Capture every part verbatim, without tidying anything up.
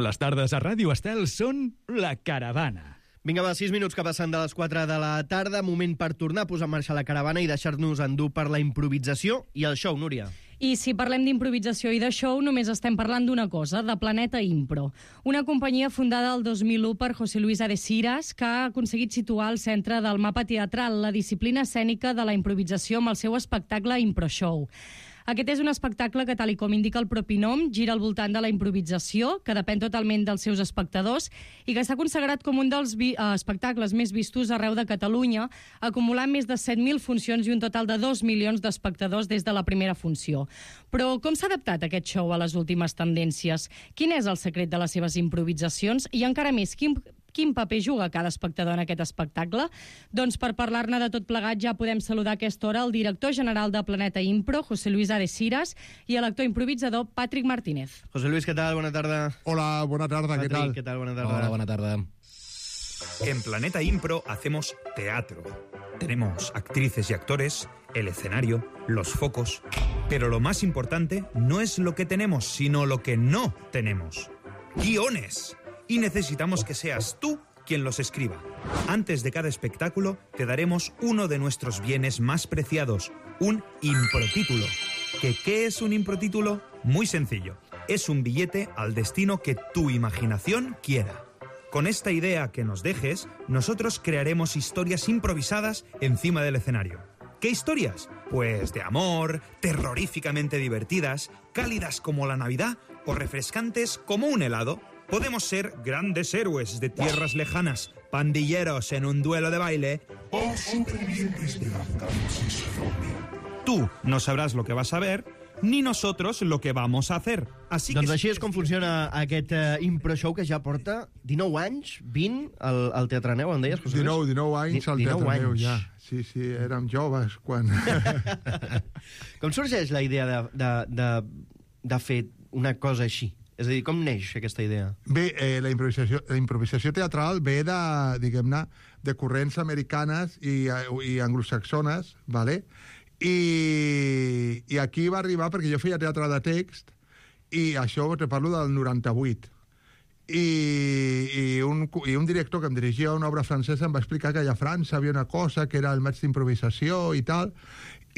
Les tardes a Ràdio Estel són La Caravana. Vinga, va, sis minuts que passen de les quatre de la tarda, moment per tornar a posar en marxa la caravana i deixar-nos endur per la improvisació i el show, Núria. I si parlem d'improvisació i de show, només estem parlant d'una cosa, de Planeta Impro. Una companyia fundada el dos mil u per José Luis Adesiras, que ha aconseguit situar al centre del mapa teatral la disciplina escènica de la improvisació amb el seu espectacle Impro Show. Aquest és un espectacle que, tal i com indica el propi nom, gira al voltant de la improvisació, que depèn totalment dels seus espectadors, i que s'ha consagrat com un dels vi- eh, espectacles més vistos arreu de Catalunya, acumulant més de set mil funcions i un total de dos milions d'espectadors des de la primera funció. Però com s'ha adaptat aquest show a les últimes tendències? Quin és el secret de les seves improvisacions? I encara més, quin... Quin paper juga cada espectador en aquest espectacle? Doncs per parlar-ne de tot plegat ja podem saludar a aquesta hora el director general de Planeta Impro, José Luis Adesiras, i l'actor improvisador Patrick Martínez. José Luis, ¿qué tal? Buena tarde. Hola, buena tarde, Patrick, ¿qué tal? ¿qué tal? Buena tarde. Hola, buena tarde. En Planeta Impro hacemos teatro. Tenemos actrices y actores, el escenario, los focos. Pero lo más importante no es lo que tenemos, sino lo que no tenemos. ¡Guiones! Y necesitamos que seas tú quien los escriba. Antes de cada espectáculo te daremos uno de nuestros bienes más preciados, un improtítulo. ¿Que qué es un improtítulo? Muy sencillo. Es un billete al destino que tu imaginación quiera. Con esta idea que nos dejes, nosotros crearemos historias improvisadas encima del escenario. ¿Qué historias? Pues de amor, terroríficamente divertidas, cálidas como la Navidad o refrescantes como un helado. Podemos ser grandes héroes de tierras lejanas, pandilleros en un duelo de baile o supervivientes de apocalipsis zombie. Tú no sabràs lo que vas a ver, ni nosotros lo que vamos a hacer. Así Doncs que així és com funciona aquest uh, Impro Show que ja porta dinou anys, vint al, al Teatre Neu, em deies, José Luis? dinou, dinou anys al dinou Teatre Neu, anys. ja. Sí, sí, érem joves quan... Com sorgeix la idea de, de, de, de fer una cosa així? És a dir, com neix aquesta idea? Bé, eh, la, improvisació, la improvisació teatral ve de, diguem-ne, de corrents americanes i, i anglosaxones, ¿vale? I, i aquí va arribar perquè jo feia teatre de text i això te parlo del noranta-vuit. I, i, un, i un director que em dirigia una obra francesa em va explicar que allà a França havia una cosa que era el maig d'improvisació i tal,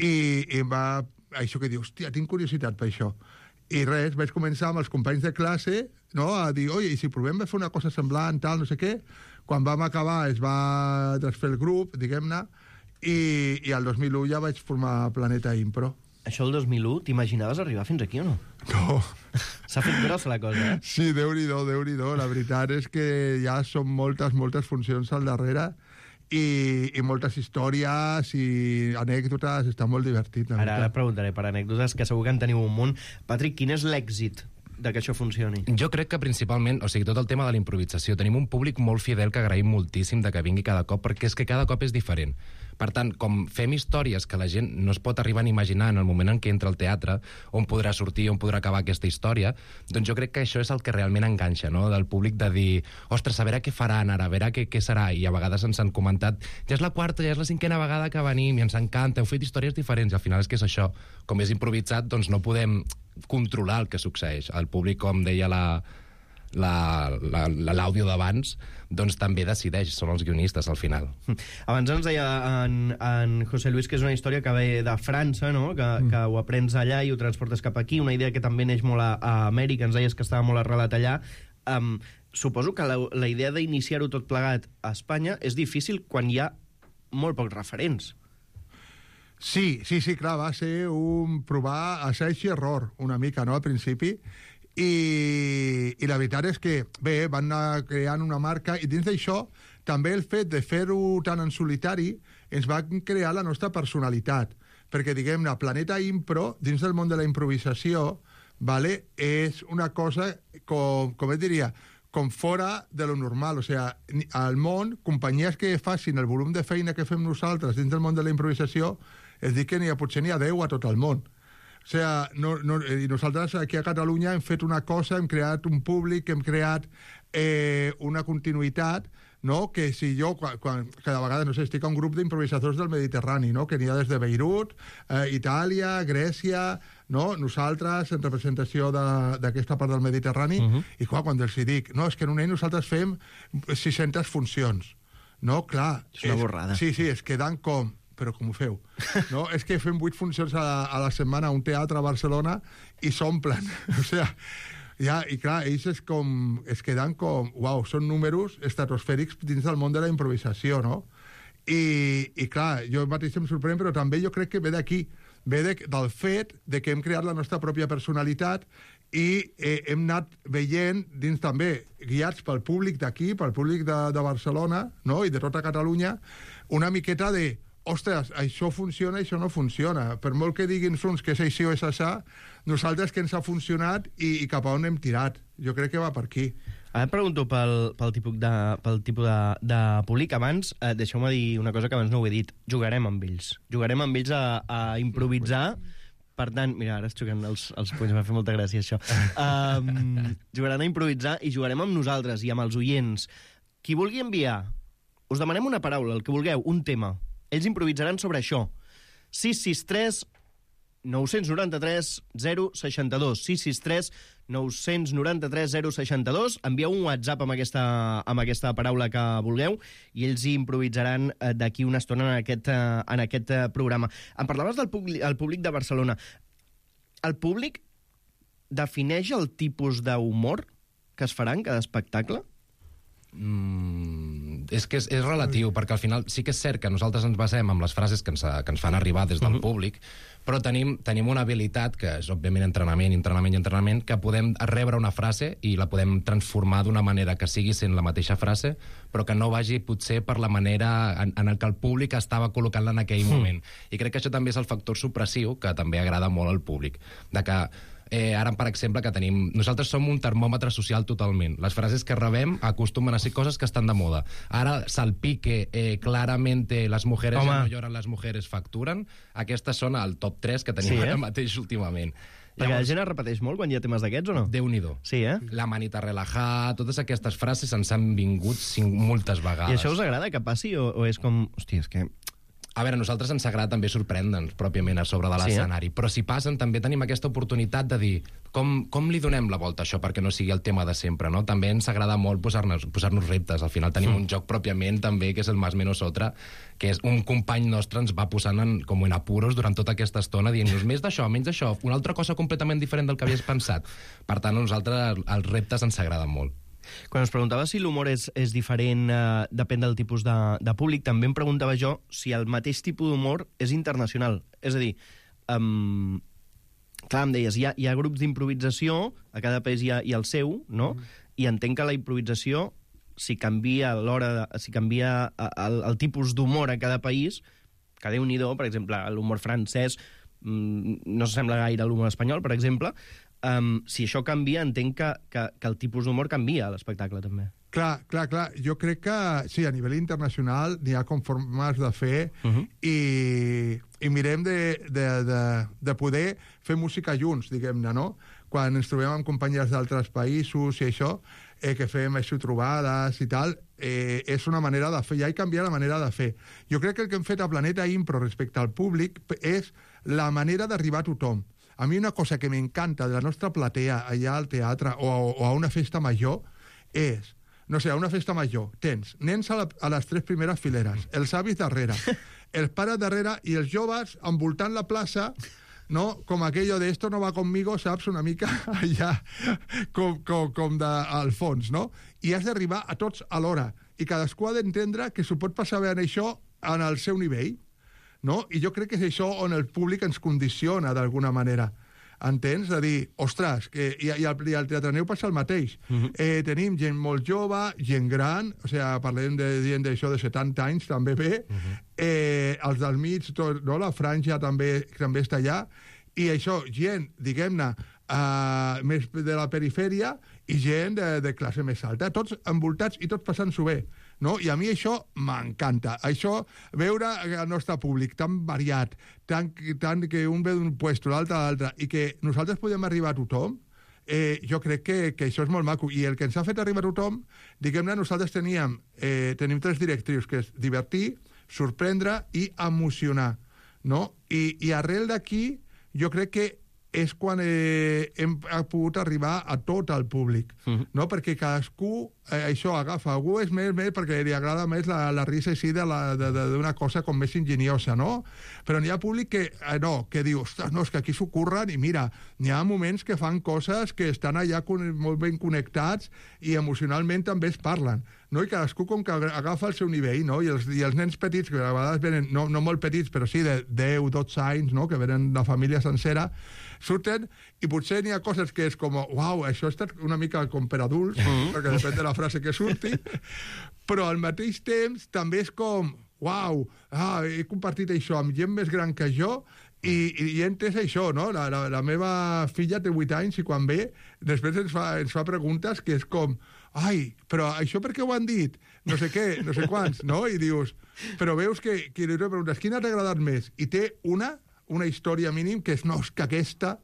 i, i em va... Això que diu, hòstia, tinc curiositat per això. I res, vaig començar amb els companys de classe, no?, a dir, oi, i si provem de fer una cosa semblant, tal, no sé què. Quan vam acabar es va desfer el grup, diguem-ne, i, i el dos mil u ja vaig formar Planeta Impro. Això el dos mil u, t'imaginaves arribar fins aquí o no? No. S'ha fet grossa la cosa, eh? Sí, Déu-n'hi-do, Déu-n'hi-do. La veritat és que ja són moltes, moltes funcions al darrere i, i moltes històries i anècdotes, està molt divertit. Ara, ara preguntaré per anècdotes, que segur que en teniu un munt. Patrick, quin és l'èxit de que això funcioni? Jo crec que principalment, o sigui, tot el tema de la improvisació, tenim un públic molt fidel que agraïm moltíssim de que vingui cada cop, perquè és que cada cop és diferent. Per tant, com fem històries que la gent no es pot arribar a imaginar en el moment en què entra al teatre, on podrà sortir, on podrà acabar aquesta història, doncs jo crec que això és el que realment enganxa, no?, del públic, de dir, ostres, a veure què faran ara, a veure què, què serà, i a vegades ens han comentat, ja és la quarta, ja és la cinquena vegada que venim, i ens encanta, heu fet històries diferents, i al final és que és això, com és improvisat, doncs no podem controlar el que succeeix. El públic, com deia la l'àudio d'abans, doncs també decideix, són els guionistes al final. Abans ens deia en, en José Luis que és una història que ve de França, no?, que, mm. que ho aprens allà i ho transportes cap aquí, una idea que també neix molt a, a Amèrica, ens deies que estava molt arrelat allà. Um, suposo que la, la idea d'iniciar-ho tot plegat a Espanya és difícil quan hi ha molt pocs referents. Sí, sí, sí, clar, va ser un provar assaig i error una mica, no?, al principi. I, i la veritat és que, bé, van anar creant una marca i dins d'això també el fet de fer-ho tan en solitari ens va crear la nostra personalitat, perquè, diguem-ne, Planeta Impro, dins del món de la improvisació, vale, és una cosa, com, com et diria, com fora de lo normal. O sigui, al món, companyies que facin el volum de feina que fem nosaltres dins del món de la improvisació, es dic que n'hi ha, potser n'hi ha deu a tot el món. O sigui, no, no, i nosaltres aquí a Catalunya hem fet una cosa, hem creat un públic, hem creat eh, una continuïtat, no?, que si jo, quan, quan, cada vegada, no sé, estic a un grup d'improvisadors del Mediterrani, no?, que n'hi ha des de Beirut, eh, Itàlia, Grècia, no? Nosaltres, en representació de- d'aquesta part del Mediterrani, uh -huh. i clar, quan els hi dic, no, és que en un any nosaltres fem sis-centes funcions. No, clar. És una borrada. Sí, sí, es queden com... Però com ho feu? No? És que fem vuit funcions a la, a la setmana a un teatre a Barcelona i s'omplen. O sigui, ja, i clar, ells és com, es queden com... Uau, són números estratosfèrics dins del món de la improvisació, no? I, i clar, jo mateix em sorprèn, però també jo crec que ve d'aquí, ve de, del fet de que hem creat la nostra pròpia personalitat i eh, hem anat veient dins també, guiats pel públic d'aquí, pel públic de, de Barcelona, no? I de tota Catalunya, una miqueta de ostres, això funciona, això no funciona. Per molt que diguin uns que és així o és això, nosaltres que ens ha funcionat i, i cap a on hem tirat. Jo crec que va per aquí. Ara et pregunto pel, pel tipus, de, pel tipus de, de públic. Abans, eh, deixeu-me dir una cosa que abans no ho he dit. Jugarem amb ells. Jugarem amb ells a, a improvisar. Per tant, mira, ara es xoquen els, els punys, m'ha fet molta gràcia això. Um, jugaran a improvisar i jugarem amb nosaltres i amb els oients. Qui vulgui enviar, us demanem una paraula, el que vulgueu, un tema. Ells improvisaran sobre això. sis sis tres nou nou tres zero sis dos. sis sis tres nou nou tres zero sis dos. Envieu un WhatsApp amb aquesta, amb aquesta paraula que vulgueu i ells hi improvisaran eh, d'aquí una estona en aquest, eh, en aquest eh, programa. Em parlaves del públic, el públic de Barcelona. El públic defineix el tipus d'humor que es farà en cada espectacle? Mm, és que és, és relatiu, perquè al final sí que és cert que nosaltres ens basem en les frases que ens, que ens fan arribar des del uh-huh. públic, però tenim, tenim una habilitat, que és òbviament entrenament, entrenament i entrenament, que podem rebre una frase i la podem transformar d'una manera que sigui sent la mateixa frase, però que no vagi potser per la manera en, en el que el públic estava col·locant-la en aquell uh-huh. moment. I crec que això també és el factor supressiu que també agrada molt al públic, de que Eh, ara, per exemple, que tenim... Nosaltres som un termòmetre social totalment. Les frases que rebem acostumen a ser coses que estan de moda. Ara, salpique, eh, claramente, las mujeres Home. ja no lloran, les mujeres facturen. Aquestes són el top tres que tenim Sí, eh? ara mateix últimament. Perquè la gent es repeteix molt quan hi ha temes d'aquests, o no? Déu-n'hi-do. Sí, eh? La manita relajada, totes aquestes frases ens han vingut cinc, moltes vegades. I això us agrada que passi o, o és com... Hòstia, és que... A veure, a nosaltres ens agrada també sorprendre'ns pròpiament a sobre de l'escenari, sí, eh? Però si passen també tenim aquesta oportunitat de dir com, com li donem la volta a això perquè no sigui el tema de sempre, no? També ens agrada molt posar-nos posar-nos reptes. Al final tenim mm. un joc pròpiament també, que és el Más Menos Otra, que és un company nostre ens va posant en, com en apuros durant tota aquesta estona, dient-nos més d'això, menys d'això, una altra cosa completament diferent del que havies pensat. Per tant, a nosaltres els reptes ens agraden molt. Quan es preguntava si l'humor és, és diferent, eh, depèn del tipus de, de públic, també em preguntava jo si el mateix tipus d'humor és internacional. És a dir, um, clar, em deies, hi ha, hi ha grups d'improvisació, a cada país hi ha, hi ha el seu, no? Mm. I entenc que la improvisació, si canvia l'hora, de- si canvia el, el tipus d'humor a cada país, que Déu-n'hi-do, per exemple, l'humor francès mm, no s'assembla gaire a l'humor espanyol, per exemple. Um, si això canvia, entenc que, que, que el tipus d'humor canvia a l'espectacle, també. Clar, clar, clar. Jo crec que, sí, a nivell internacional n'hi ha com formes de fer uh -huh. i, i mirem de, de, de, de poder fer música junts, diguem-ne, no? Quan ens trobem amb companyies d'altres països i això, eh, que fem això, trobades i tal, eh, és una manera de fer, ja hi canvia la manera de fer. Jo crec que el que hem fet a Planeta Impro respecte al públic és la manera d'arribar a tothom. A mi una cosa que m'encanta de la nostra platea allà al teatre o a, o a una festa major és, no sé, a una festa major tens nens a, la, a les tres primeres fileres, els avis darrere, els pares darrere i els joves envoltant la plaça, no? Com aquello de esto no va conmigo, saps? Una mica allà com, com, com de, al fons, no? I has d'arribar a tots alhora i cadascú ha d'entendre que s'ho pot passar bé en això en el seu nivell, no? I jo crec que és això on el públic ens condiciona d'alguna manera. Entens? De dir, ostres, que, i, i, al, i al Teatreneu passa el mateix. Uh -huh. eh, tenim gent molt jove, gent gran, o sigui, parlem de gent d'això de setanta anys, també bé, uh -huh. eh, els del mig, tot, no? La franja també, també està allà, i això, gent, diguem-ne, uh, més de la perifèria i gent de, de classe més alta, tots envoltats i tots passant-s'ho bé. No? I a mi això m'encanta. Això, veure el nostre públic tan variat, tan, tan que un ve d'un puesto, l'altre a l'altre, i que nosaltres podem arribar a tothom, eh, jo crec que, que això és molt maco. I el que ens ha fet arribar a tothom, diguem-ne, nosaltres teníem, eh, tenim tres directrius, que és divertir, sorprendre i emocionar. No? I, i arrel d'aquí, jo crec que és quan eh, hem pogut arribar a tot el públic, uh-huh. no? Perquè cadascú, eh, això, agafa. Algú és més, més perquè li agrada més la, la risa així d'una cosa com més enginyosa, no? Però n'hi ha públic que, eh, no, que diu, ostres, no, és que aquí s'ho curren, i mira, n'hi ha moments que fan coses que estan allà con, molt ben connectats i emocionalment també es parlen, no? I cadascú com que agafa el seu nivell, no? I els, i els nens petits, que a vegades venen, no, no molt petits, però sí de deu, dotze anys, no? Que venen de família sencera, surten, i potser n'hi ha coses que és com, uau, això ha estat una mica com per adults, mm-hmm. perquè depèn de la frase que surti, però al mateix temps també és com, uau, ah, he compartit això amb gent més gran que jo, i, i, i he entès això, no? La, la, la meva filla té vuit anys i quan ve, després ens fa, ens fa preguntes que és com, ai, però això per què ho han dit? No sé què, no sé quants, no? I dius, però veus que, que li preguntes, quina t'ha agradat més? I té una, una història mínim que és, no, és que aquesta,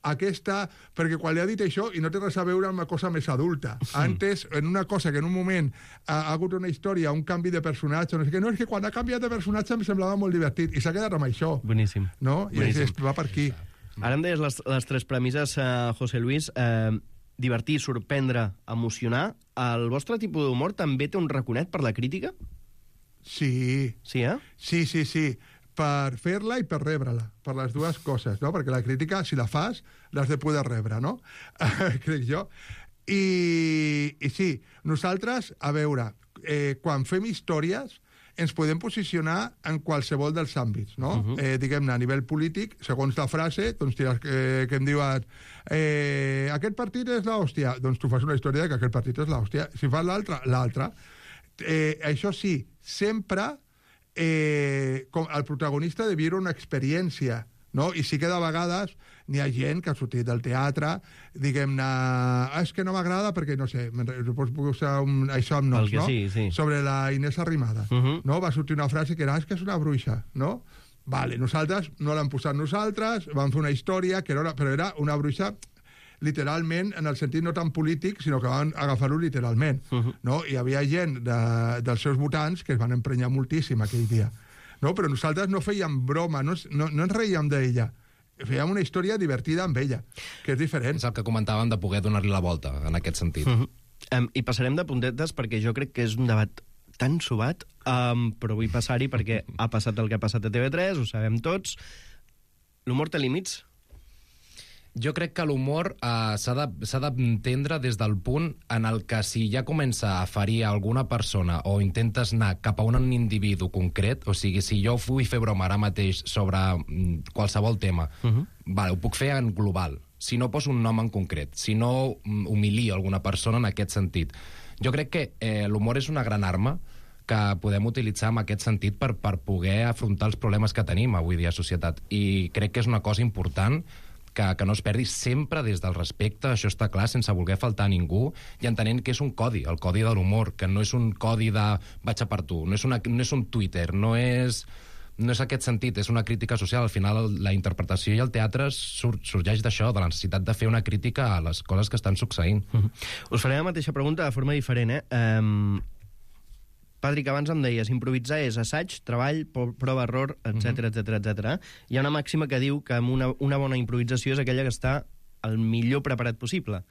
aquesta, perquè quan li ha dit això i no té res a veure amb una cosa més adulta. Antes, en una cosa que en un moment ha, ha hagut una història, un canvi de personatge, no sé què, no, és que quan ha canviat de personatge em semblava molt divertit, i s'ha quedat amb això. Boníssim. No? I Boníssim. és, va per aquí. Ara em deies les, les tres premisses, uh, José Luis, uh, divertir, sorprendre, emocionar. El vostre tipus d'humor també té un raconet per la crítica? Sí. Sí, eh? Sí, sí, sí. Per fer-la i per rebre-la, per les dues coses, no? Perquè la crítica, si la fas, l'has de poder rebre, no? Crec jo. I, I sí, nosaltres, a veure, eh, quan fem històries, ens podem posicionar en qualsevol dels àmbits, no? Uh-huh. eh, diguem-ne, a nivell polític, segons la frase, doncs diràs que, que em diuen eh, aquest partit és l'hòstia, doncs tu fas una història de que aquest partit és l'hòstia. Si fas l'altra, l'altra. Eh, això sí, sempre eh, com el protagonista de viure una experiència, no? I sí que de vegades n'hi ha gent que ha sortit del teatre, diguem-ne, ah, és que no m'agrada perquè, no sé, pots posar un, això amb noms, no? Sí, sí. Sobre la Inés Arrimada, uh-huh. no? Va sortir una frase que era, és que és una bruixa, no? Vale, nosaltres no l'hem posat nosaltres, vam fer una història, que era una, però era una bruixa literalment, en el sentit no tan polític, sinó que van agafar-ho literalment, uh-huh. no? Hi havia gent de, dels seus votants que es van emprenyar moltíssim aquell dia. No? Però nosaltres no fèiem broma, no, no, no ens reíem d'ella. Fèiem una història divertida amb ella, que és diferent. És el que comentàvem de poder donar-li la volta, en aquest sentit. Uh-huh. um, I passarem de puntetes, perquè jo crec que és un debat tan subat, um, però vull passar-hi perquè ha passat el que ha passat a T V tres, ho sabem tots. L'humor té límits? Jo crec que l'humor eh, s'ha d'entendre des del punt en el que si ja comença a ferir a alguna persona o intentes anar cap a un individu concret, o sigui, si jo vull fer broma ara mateix sobre mm, qualsevol tema, uh-huh. vale, ho puc fer en global, si no poso un nom en concret, si no mm, humilio alguna persona en aquest sentit. Jo crec que eh, l'humor és una gran arma que podem utilitzar en aquest sentit per, per poder afrontar els problemes que tenim avui dia a societat. I crec que és una cosa important que, que no es perdi sempre des del respecte, això està clar, sense voler faltar a ningú, i entenent que és un codi, el codi de l'humor, que no és un codi de vaig a per tu, no és, una, no és un Twitter, no és, no és aquest sentit, és una crítica social. Al final la interpretació i el teatre sur, sorgeix d'això, de la necessitat de fer una crítica a les coses que estan succeint. Uh-huh. Us faré la mateixa pregunta de forma diferent, eh? Um... Patrick, abans em deies, improvisar és assaig, treball, prova, error, etcètera, etcètera, etcètera. Hi ha una màxima que diu que una, una bona improvisació és aquella que està el millor preparat possible.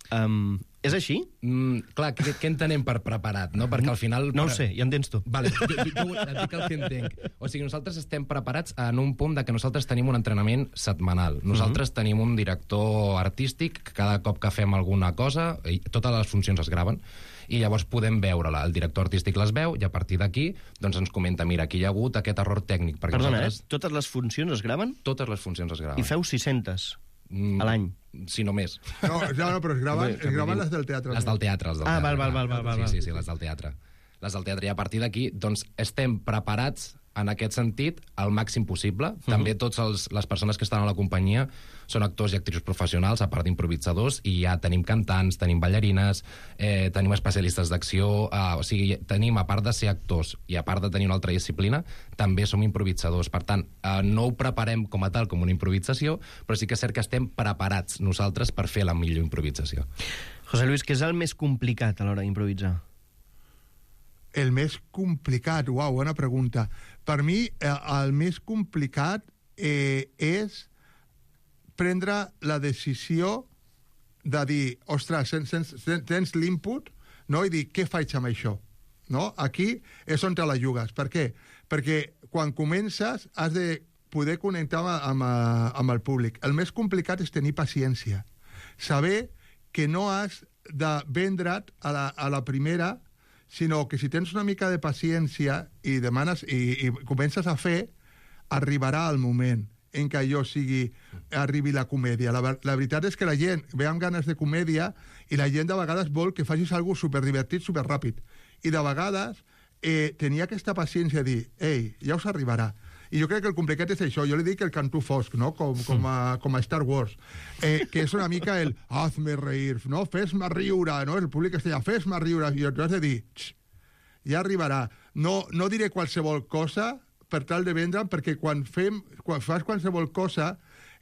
Um, és així? Mm, clar, què, què entenem per preparat, no? Perquè al final... No ho sé, ja entens tu. Vale, jo, jo, jo et dic el que entenc. O sigui, nosaltres estem preparats en un punt de que nosaltres tenim un entrenament setmanal. Nosaltres uh-huh. tenim un director artístic que cada cop que fem alguna cosa, totes les funcions es graven, i llavors podem veure-la. El director artístic les veu i a partir d'aquí doncs ens comenta, mira, aquí hi ha hagut aquest error tècnic. Perquè Perdona, nosaltres... eh? Totes les funcions es graven? Totes les funcions es graven. I feu sis-centes mm, a l'any? Si no més. No, ja no, però es graven, es graven les del teatre. Les del teatre, les del ah, teatre. val, val, val, val, val. Sí, sí, sí, les del teatre. Les del teatre. I a partir d'aquí, doncs, estem preparats en aquest sentit al màxim possible. Uh-huh. També tots els, les persones que estan a la companyia són actors i actrius professionals, a part d'improvisadors, i ja tenim cantants, tenim ballarines, eh, tenim especialistes d'acció, eh, o sigui, tenim, a part de ser actors i a part de tenir una altra disciplina, també som improvisadors. Per tant, eh, no ho preparem com a tal, com una improvisació, però sí que és cert que estem preparats nosaltres per fer la millor improvisació. José Luis, què és el més complicat a l'hora d'improvisar? El més complicat, uau, bona pregunta. Per mi, eh, el més complicat eh, és prendre la decisió de dir, ostres, tens, tens l'input, no? I dir, què faig amb això? No? Aquí és on te la jugues. Per què? Perquè quan comences has de poder connectar amb, amb el públic. El més complicat és tenir paciència. Saber que no has de vendre't a la, a la primera, sinó que si tens una mica de paciència i demanes i, i comences a fer, arribarà el moment en què allò sigui, arribi la comèdia. La, la veritat és que la gent ve amb ganes de comèdia i la gent de vegades vol que facis alguna cosa superdivertit, superràpid. I de vegades eh, tenia aquesta paciència de dir, ei, ja us arribarà. I jo crec que el complicat és això. Jo li dic el cantó fosc, no? Com, com, a, com a Star Wars, eh, que és una mica el hazme reír, no? Fes-me riure, no? El públic està allà, fes-me riure, i tu has de dir, ja arribarà. No, no diré qualsevol cosa per tal de vendre'm, perquè quan, fem, quan fas qualsevol cosa,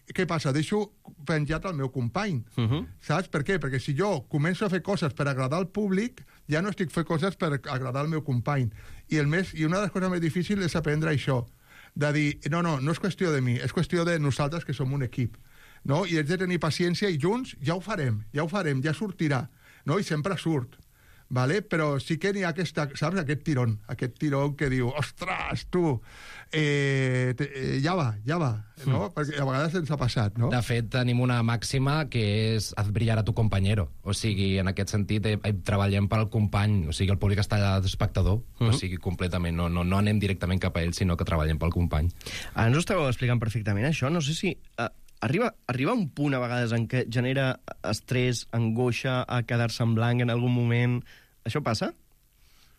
què passa? Deixo penjat al meu company. Uh -huh. Saps per què? Perquè si jo començo a fer coses per agradar al públic, ja no estic fent coses per agradar al meu company. I, el més, i una de les coses més difícils és aprendre això, de dir, no, no, no és qüestió de mi, és qüestió de nosaltres que som un equip. No? I hem de tenir paciència i junts ja ho farem, ja ho farem, ja sortirà. No? I sempre surt. Vale? Però sí que n'hi ha aquesta, saps, aquest tirón, aquest tirón que diu, ostres, tu, eh, te, eh, ja va, ja va, no? Mm. Perquè a vegades ens ha passat, no? De fet, tenim una màxima que és haz brillar a tu compañero. O sigui, en aquest sentit, eh, treballem pel company, o sigui, el públic està allà d'espectador, mm. o sigui, completament, no, no, no anem directament cap a ell, sinó que treballem pel company. Ara ens ho estàveu explicant perfectament, això, no sé si... Uh... Arriba, arriba un punt a vegades en què genera estrès, angoixa, a quedar-se en blanc en algun moment. Això passa?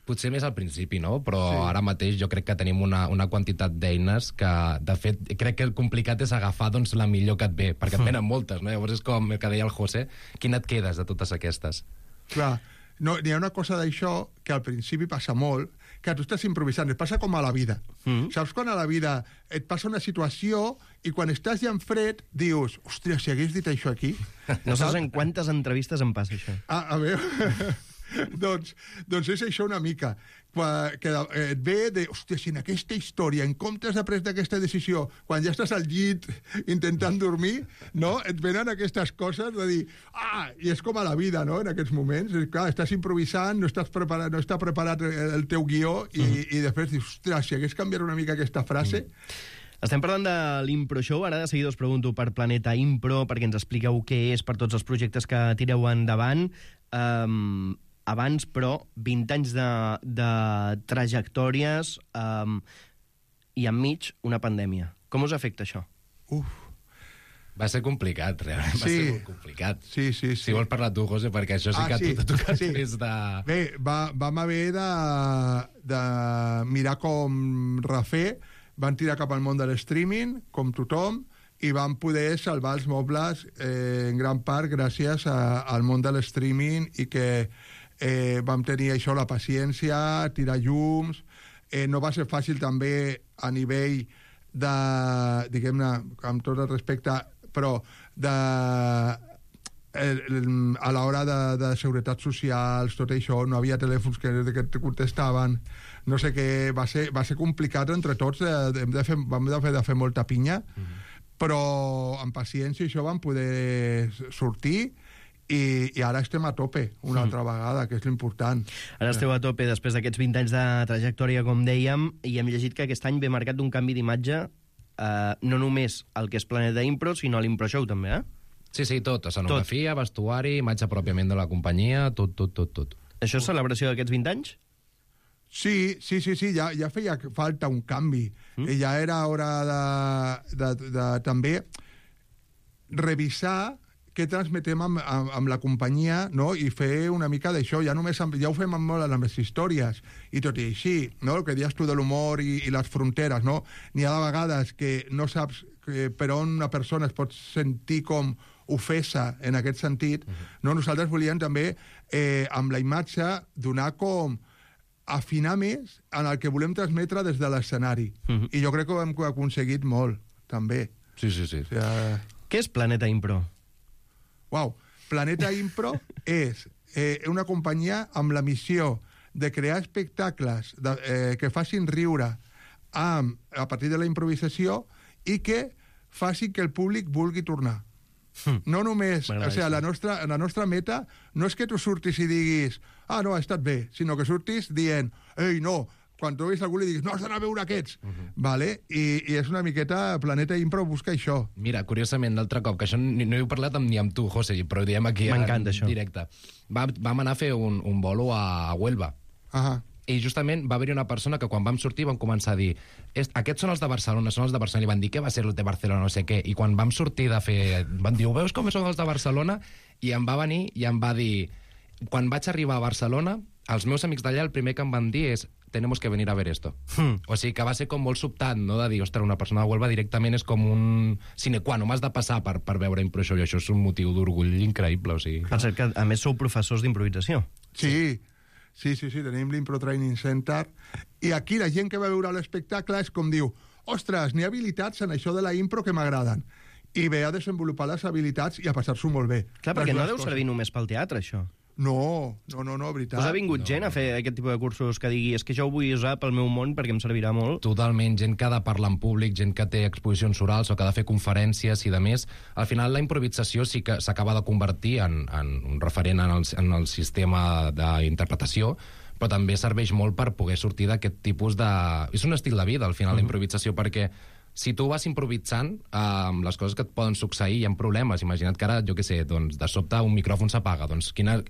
Potser més al principi, no? Però sí. Ara mateix jo crec que tenim una, una quantitat d'eines que, de fet, crec que el complicat és agafar doncs, la millor que et ve, perquè et venen moltes, no? Llavors és com el que deia el José, quina et quedes de totes aquestes? Clar, no, n'hi ha una cosa d'això que al principi passa molt, que tu estàs improvisant, et passa com a la vida. Mm. Saps quan a la vida et passa una situació i quan estàs ja en fred dius, hòstia, si hagués dit això aquí... No saps en quantes entrevistes em passa això. Ah, a veure... doncs, doncs és això una mica quan, que et ve de, hòstia, si en aquesta història, en comptes de pres d'aquesta decisió, quan ja estàs al llit intentant dormir, no? Et venen aquestes coses de dir, ah, i és com a la vida, no?, en aquests moments. És, clar, estàs improvisant, no, estàs preparat, no està preparat el teu guió i, mm. i després dius, ostres, si hagués canviat una mica aquesta frase... Mm. Estem parlant de l'Impro Show. Ara de seguida us pregunto per Planeta Impro, perquè ens expliqueu què és, per tots els projectes que tireu endavant. Um, abans, però, vint anys de, de trajectòries um, i enmig una pandèmia. Com us afecta això? Uf. Va ser complicat, realment. Va sí. ser molt complicat. Sí, sí, sí. Si vols parlar tu, José, perquè això sí ah, que sí. tu t'ha tocat sí. més de... Bé, va, vam haver de, de mirar com refer. Van tirar cap al món de l'streaming, com tothom, i van poder salvar els mobles eh, en gran part gràcies a, al món de l'streaming i que eh, vam tenir això, la paciència, tirar llums. Eh, no va ser fàcil també a nivell de, diguem-ne, amb tot el respecte, però de, el, el, a l'hora de, de seguretat socials, tot això, no havia telèfons que, que et contestaven, no sé què, va ser, va ser complicat entre tots, de, de fer, vam de fer, de fer molta pinya, mm-hmm. però amb paciència això vam poder sortir i, i ara estem a tope una mm. altra vegada, que és l'important. Ara esteu a tope després d'aquests vint anys de trajectòria, com dèiem, i hem llegit que aquest any ve marcat d'un canvi d'imatge, eh, no només el que és Planeta Impro, sinó l'Impro Show també, eh? Sí, sí, tot. Escenografia, tot. Vestuari, imatge pròpiament de la companyia, tot, tot, tot, tot. Això és celebració d'aquests vint anys? Sí, sí, sí, sí, ja, ja feia falta un canvi. Mm. Ja era hora de, de, de, de també revisar què transmetem amb, amb, amb la companyia, no? I fer una mica d'això. Ja només amb, ja ho fem amb molt amb les històries i tot i així, no? El que dius tu de l'humor i, i les fronteres, no? N'hi ha de vegades que no saps que per on una persona es pot sentir com ofesa en aquest sentit. Mm-hmm. No? Nosaltres volíem també, eh, amb la imatge, donar com afinar més en el que volem transmetre des de l'escenari. Mm-hmm. I jo crec que ho hem aconseguit molt, també. Sí, sí, sí. O sigui, què és Planeta Impro? Uau, Planeta Impro és eh, una companyia amb la missió de crear espectacles de, eh, que facin riure amb, a partir de la improvisació i que facin que el públic vulgui tornar. Hm. No només... M'agrada O sigui, això. la nostra, la nostra meta no és que tu surtis i diguis ah, no, ha estat bé, sinó que surtis dient ei, no, quan tu veus algú li diguis no, has d'anar a veure aquests, uh -huh. vale? I, i és una miqueta Planeta Impro busca això. Mira, curiosament, l'altre cop, que això ni, no he parlat amb, ni amb tu, José, però ho diem aquí en M'encanta, això. directe. Va, vam anar a fer un, un bolo a, a Huelva. Ahà. I justament va haver-hi una persona que quan vam sortir vam començar a dir aquests són els de Barcelona, són els de Barcelona, i van dir què va ser el de Barcelona, no sé què, i quan vam sortir de fer... Van dir, veus com són els de Barcelona? I em va venir i em va dir quan vaig arribar a Barcelona, els meus amics d'allà el primer que em van dir és tenemos que venir a ver esto. Mm. O sigui que va ser com molt sobtat, no?, de dir, ostres, una persona de Huelva directament és com un sine qua non, m'has de passar per, per veure Impro Show, i això és un motiu d'orgull increïble, o sigui... Per cert, que a més sou professors d'improvisació. Sí, sí, sí, sí, tenim l'Impro Training Center, i aquí la gent que va veure l'espectacle és com diu, ostres, n'hi ha habilitats en això de la impro que m'agraden, i ve a desenvolupar les habilitats i a passar-s'ho molt bé. Clar, perquè Les no dues deu coses. servir només pel teatre, això. No, no, no, no, veritat. Us ha vingut No, gent a fer aquest tipus de cursos que digui és que jo ho vull usar pel meu món perquè em servirà molt? Totalment, gent que ha de parlar en públic, gent que té exposicions orals o que ha de fer conferències i de més. Al final la improvisació sí que s'acaba de convertir en, en un referent en el, en el sistema d'interpretació, però també serveix molt per poder sortir d'aquest tipus de... És un estil de vida, al final, uh-huh. la improvisació, perquè si tu vas improvisant, eh, les coses que et poden succeir, hi ha problemes. Imagina't que ara, jo què sé, doncs, de sobte un micròfon s'apaga. Doncs quina...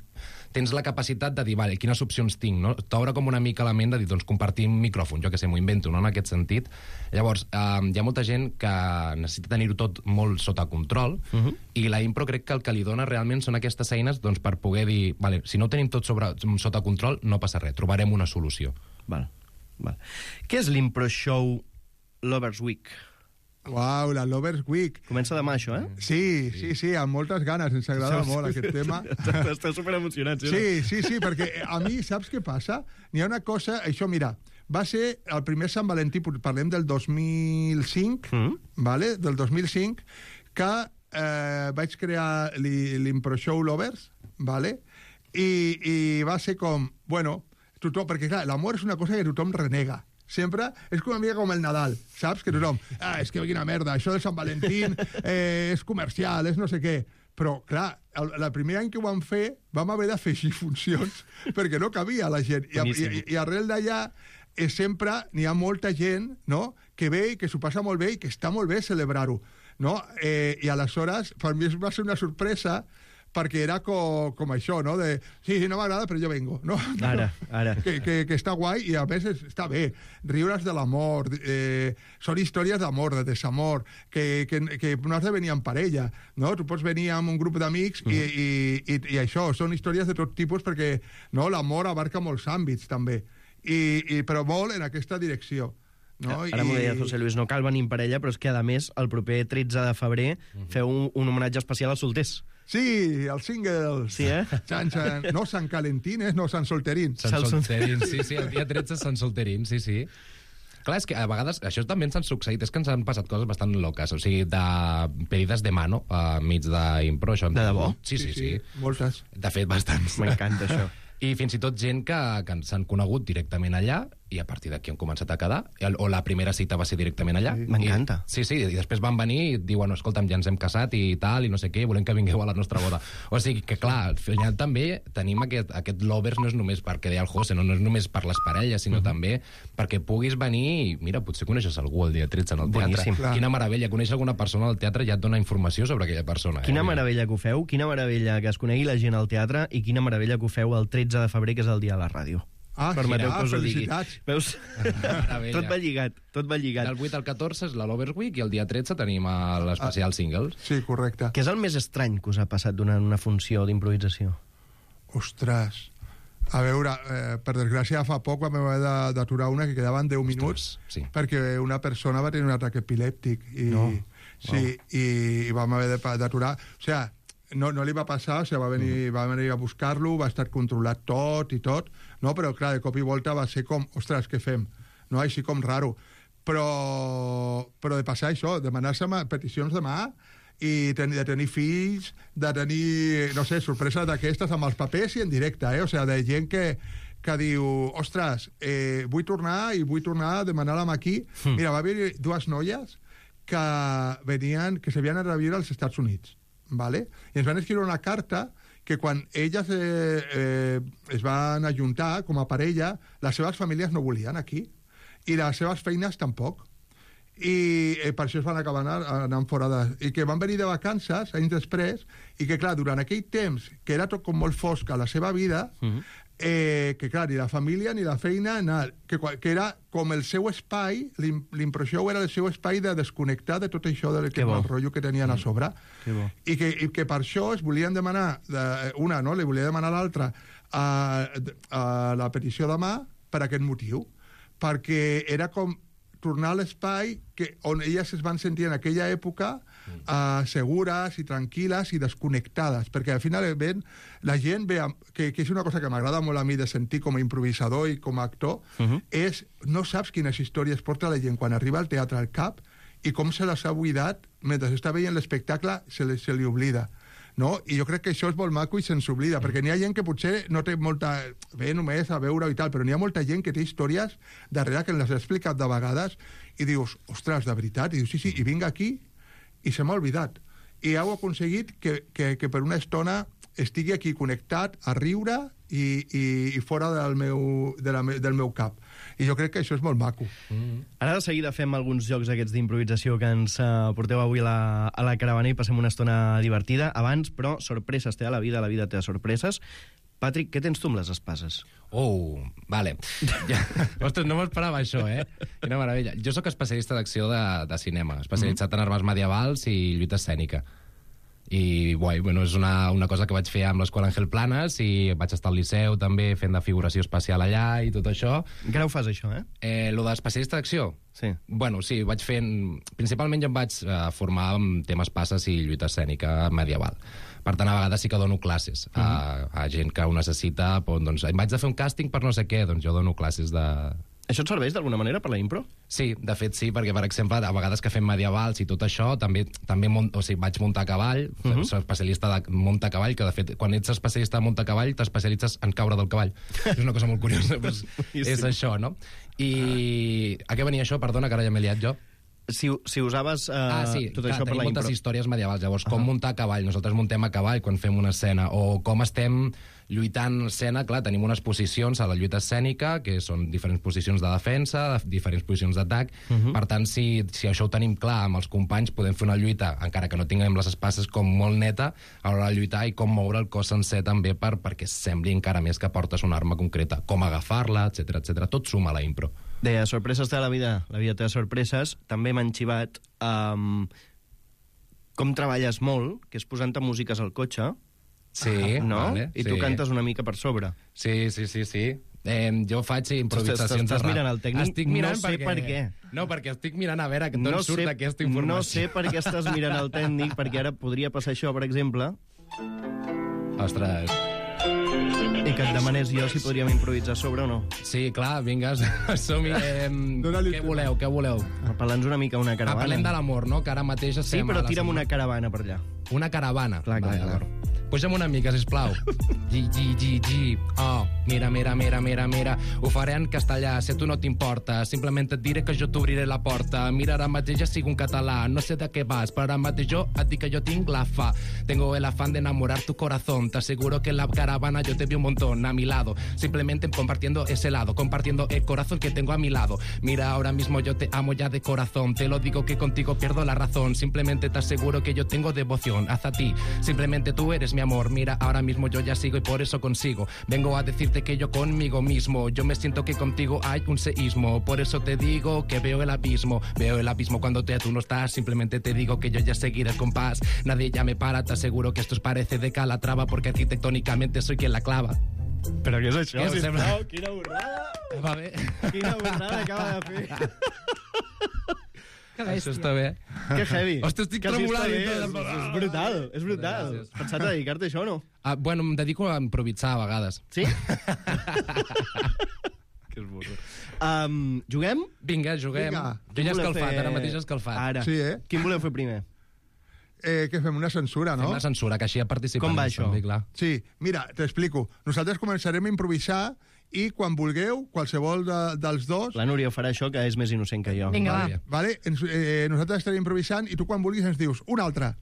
tens la capacitat de dir, vale, quines opcions tinc, no? T'obre com una mica la ment de dir, doncs, compartir un micròfon, jo què sé, m'ho invento, no?, en aquest sentit. Llavors, eh, hi ha molta gent que necessita tenir-ho tot molt sota control, uh-huh. i la impro crec que el que li dona realment són aquestes eines doncs, per poder dir, vale, si no ho tenim tot sobre, sota control, no passa res, trobarem una solució. Val, val. Què és l'Impro Show Lovers Week? Uau, la Lovers Week. Comença demà, això, eh? Sí, sí, sí, amb moltes ganes, ens agrada molt aquest tema. Esteu superemocionats, eh? Sí, sí, sí, perquè a mi, saps què passa? N'hi ha una cosa, això, mira, va ser el primer Sant Valentí, parlem del dos mil cinc, Mm. vale? del dos mil cinc, que eh, vaig crear l'Impro Show Lovers, vale? I, i va ser com, bueno, tothom, perquè clar, l'amor és una cosa que tothom renega. Sempre és com una mica com el Nadal, saps? Que tothom, ah, és que quina merda, això de Sant Valentín eh, és comercial, és no sé què. Però, clar, el, el primer any que ho vam fer, vam haver d'afegir funcions perquè no cabia la gent. I, i, i arrel d'allà eh, sempre n'hi ha molta gent, no?, que ve i que s'ho passa molt bé i que està molt bé celebrar-ho, no? Eh, I aleshores, per mi va ser una sorpresa perquè era com, com això, no? De, sí, sí, no m'agrada, però jo vengo, no? Ara, ara. Que, que, que està guai i a més és, està bé. Riures de l'amor, eh, són històries d'amor, de desamor, que, que, que no has de venir en parella, no? Tu pots venir amb un grup d'amics mm. i, i, i, i això, són històries de tot tipus perquè no, l'amor abarca molts àmbits també, I, i, però molt en aquesta direcció. No? Ara m'ho deia José Luis, no cal venir en parella, però és que, a més, el proper tretze de febrer mm-hmm. feu un, un homenatge especial als solters. Sí, els singles. Sí, eh? San, San, no Sant Calentines, no Sant Solterín. Sant Solterín, sí, sí, el dia tretze Sant Solterín, sí, sí. Clar, és que a vegades això també ens han succeït, és que ens han passat coses bastant loques, o sigui, de pedides de mano a mig d'impro. De debò? Sí, sí, sí, sí. Moltes. De fet, bastants. M'encanta això. I fins i tot gent que, que s'han conegut directament allà i a partir d'aquí han començat a quedar, o la primera cita va ser directament allà. Sí. M'encanta. Sí, sí, i després van venir i diuen, escolta'm, ja ens hem casat i tal, i no sé què, volem que vingueu a la nostra boda. O sigui que, clar, al final també tenim aquest, aquest lovers no és només perquè deia el José, no, no és només per les parelles, sinó uh-huh. també perquè puguis venir i, mira, potser coneixes algú el dia tretze en el teatre. Boníssim. Clar. Quina meravella, conèixer alguna persona al teatre ja et dona informació sobre aquella persona. Quina eh? meravella que ho feu, quina meravella que es conegui la gent al teatre i quina meravella que ho feu el tretze de febrer, que és el dia de la ràdio. Ah, Permeteu sí, que us ho digui. felicitats. Veus? Tot va lligat, tot va lligat. Del vuit al catorze és la Lovers Week i el dia tretze tenim l'especial singles. Sí, correcte. Què és el més estrany que us ha passat durant una funció d'improvisació? Ostres. A veure, eh, per desgràcia, fa poc vam haver de- d'aturar una que quedaven deu minuts sí. perquè una persona va tenir un atac epilèptic i, No. sí, i, i vam haver de- d'aturar. O sigui, no, no li va passar, o sigui, va venir, va venir a buscar-lo, va estar controlat tot i tot, no? Però clar, de cop i volta va ser com, ostres, què fem? No? Així com raro. Però, però de passar això, demanar-se ma- peticions de mà i ten, de tenir fills, de tenir, no sé, sorpreses d'aquestes amb els papers i en directe, eh? O sigui, de gent que, que diu, ostres, eh, vull tornar i vull tornar a demanar-la aquí. Mm. Mira, va haver dues noies que venien, que s'havien anat a viure als Estats Units. ¿vale? I ens van escriure una carta que quan elles eh, eh, es van ajuntar com a parella, les seves famílies no volien aquí, i les seves feines tampoc. I eh, per això es van acabar anant, anant fora de... I que van venir de vacances anys després, i que, clar, durant aquell temps, que era tot com molt fosc a la seva vida, uh-huh. eh, que, clar, ni la família ni la feina, nada, que, que era com el seu espai, l'impressió era el seu espai de desconnectar de tot això del que, el rotllo que tenien a sobre. Mm. I, que, I que per això es volien demanar, de, una, no?, li volia demanar a l'altra a, a la petició de mà per aquest motiu, perquè era com tornar a l'espai que, on elles es van sentir en aquella època uh, segures i tranquil·les i desconnectades, perquè al final ben, la gent ve, que, que és una cosa que m'agrada molt a mi de sentir com a improvisador i com a actor, uh-huh. és no saps quines històries porta la gent quan arriba al teatre al cap i com se les ha buidat mentre està veient l'espectacle, se li, se li oblida. No? I jo crec que això és molt maco i se'ns oblida, perquè n'hi ha gent que potser no té molta... Bé, només a veure i tal, però n'hi ha molta gent que té històries darrere que les he explicat de vegades i dius, ostres, de veritat? I dius, sí, sí, i vinc aquí i se m'ha oblidat. I heu aconseguit que, que, que per una estona estigui aquí connectat a riure i, i, i fora del meu, de la, del meu cap. I jo crec que això és molt maco. Mm. Ara de seguida fem alguns jocs aquests d'improvisació que ens uh, porteu avui a la, a la caravana i passem una estona divertida. Abans, però, sorpreses té a la vida, la vida té sorpreses. Patrick, què tens tu amb les espases? Oh, vale. Ja, ostres, no m'esperava això, eh? Quina meravella. Jo sóc especialista d'acció de, de cinema, especialitzat mm. en armes medievals i lluita escènica. I guai, bueno, és una, una cosa que vaig fer amb l'Escola Ángel Planas i vaig estar al Liceu també fent de figuració espacial allà i tot això. Encara ho fas, això, eh? eh lo d'especialista d'acció? Sí. Bueno, sí, vaig fent... Principalment jo em vaig eh, formar en temes passes i lluita escènica medieval. Per tant, a vegades sí que dono classes a, uh-huh. a gent que ho necessita. Doncs, em vaig de fer un càsting per no sé què, doncs jo dono classes de... Això et serveix d'alguna manera per la impro? Sí, de fet sí, perquè, per exemple, a vegades que fem medievals i tot això, també també mont, o sigui, vaig muntar a cavall, uh -huh. soc especialista de muntar a cavall, que de fet, quan ets especialista de muntar a cavall, t'especialitzes en caure del cavall. És una cosa molt curiosa, pues, és això, no? I a què venia això? Perdona, que ara ja m'he liat jo. Si, si usaves uh, ah, sí, tot clar, això per la impro. Tenim moltes històries medievals. Llavors, com uh -huh. muntar a cavall? Nosaltres muntem a cavall quan fem una escena. O com estem lluitant en escena. Clar, tenim unes posicions a la lluita escènica, que són diferents posicions de defensa, diferents posicions d'atac. Uh -huh. Per tant, si, si això ho tenim clar amb els companys, podem fer una lluita, encara que no tinguem les espases, com molt neta, a l'hora de lluitar i com moure el cos sencer també per, perquè sembli encara més que portes una arma concreta. Com agafar-la, etcètera, etcètera. Tot suma a la impro. Deia, sorpreses de la vida, la vida té sorpreses. També m'han xivat um, com treballes molt, que és posant-te músiques al cotxe. Sí, no? Vale, I sí. tu cantes una mica per sobre. Sí, sí, sí, sí. Eh, jo faig improvisacions... Estàs mirant el tècnic? Estic mirant no sé perquè... per què. No, perquè estic mirant a veure d'on no surt sé, aquesta informació. No sé per què estàs mirant el tècnic, perquè ara podria passar això, per exemple. Ostres... I que et demanés jo si podríem improvisar sobre o no. Sí, clar, vinga, som-hi. Eh, què voleu, què voleu? Parla'ns una mica una caravana. Ah, parlem de l'amor, no? Que ara mateix estem... Sí, però tira'm una caravana per allà. Una caravana? Clar, clar, clar. Puja'm una mica, sisplau. Gi, gi, gi, gi. Oh, mira, mira, mira, mira, mira. Ho faré en castellà, si a tu no t'importa. Simplement et diré que jo t'obriré la porta. Mira, ara mateix ja sigo un català. No sé de què vas, però ara mateix jo et dic que jo tinc la fa. Tengo el afán de enamorar tu corazón. Te aseguro que en la caravana yo te vi un montón a mi lado. Simplemente compartiendo ese lado, compartiendo el corazón que tengo a mi lado. Mira, ahora mismo yo te amo ya de corazón. Te lo digo que contigo pierdo la razón. Simplemente te aseguro que yo tengo devoción hacia ti. Simplemente tú eres mi amor. Mira, ahora mismo yo ya sigo y por eso consigo. Vengo a decirte que yo conmigo mismo, yo me siento que contigo hay un seísmo. Por eso te digo que veo el abismo. Veo el abismo cuando te, tú no estás. Simplemente te digo que yo ya seguiré el compás. Nadie ya me para, te aseguro que esto os parece de Calatrava, porque arquitectónicamente soy quien la clava. Però què és això? Què Sisplau, quina borrada! Va bé. Quina borrada acaba de fer. Això està bé. Que heavy. Ostres, estic que tremolant. Sí és, és brutal, és brutal. Has pensat a dedicar-te a això o no? Ah, bueno, em dedico a improvisar a vegades. Sí? Que és burro. Um, juguem? Vinga, juguem. Vinga. Jo ja he escalfat, fer... ara mateix he escalfat. Ara. Sí, eh? Quin voleu fer primer? Eh, que fem una censura, no? Fem la censura, que així ja participem. Com va això? També, clar. Sí, mira, t'explico. Nosaltres començarem a improvisar i quan vulgueu, qualsevol de, dels dos... La Núria farà això, que és més innocent que jo. Vinga, va. Vale? Ens, eh, nosaltres estarem improvisant i tu quan vulguis ens dius un altre.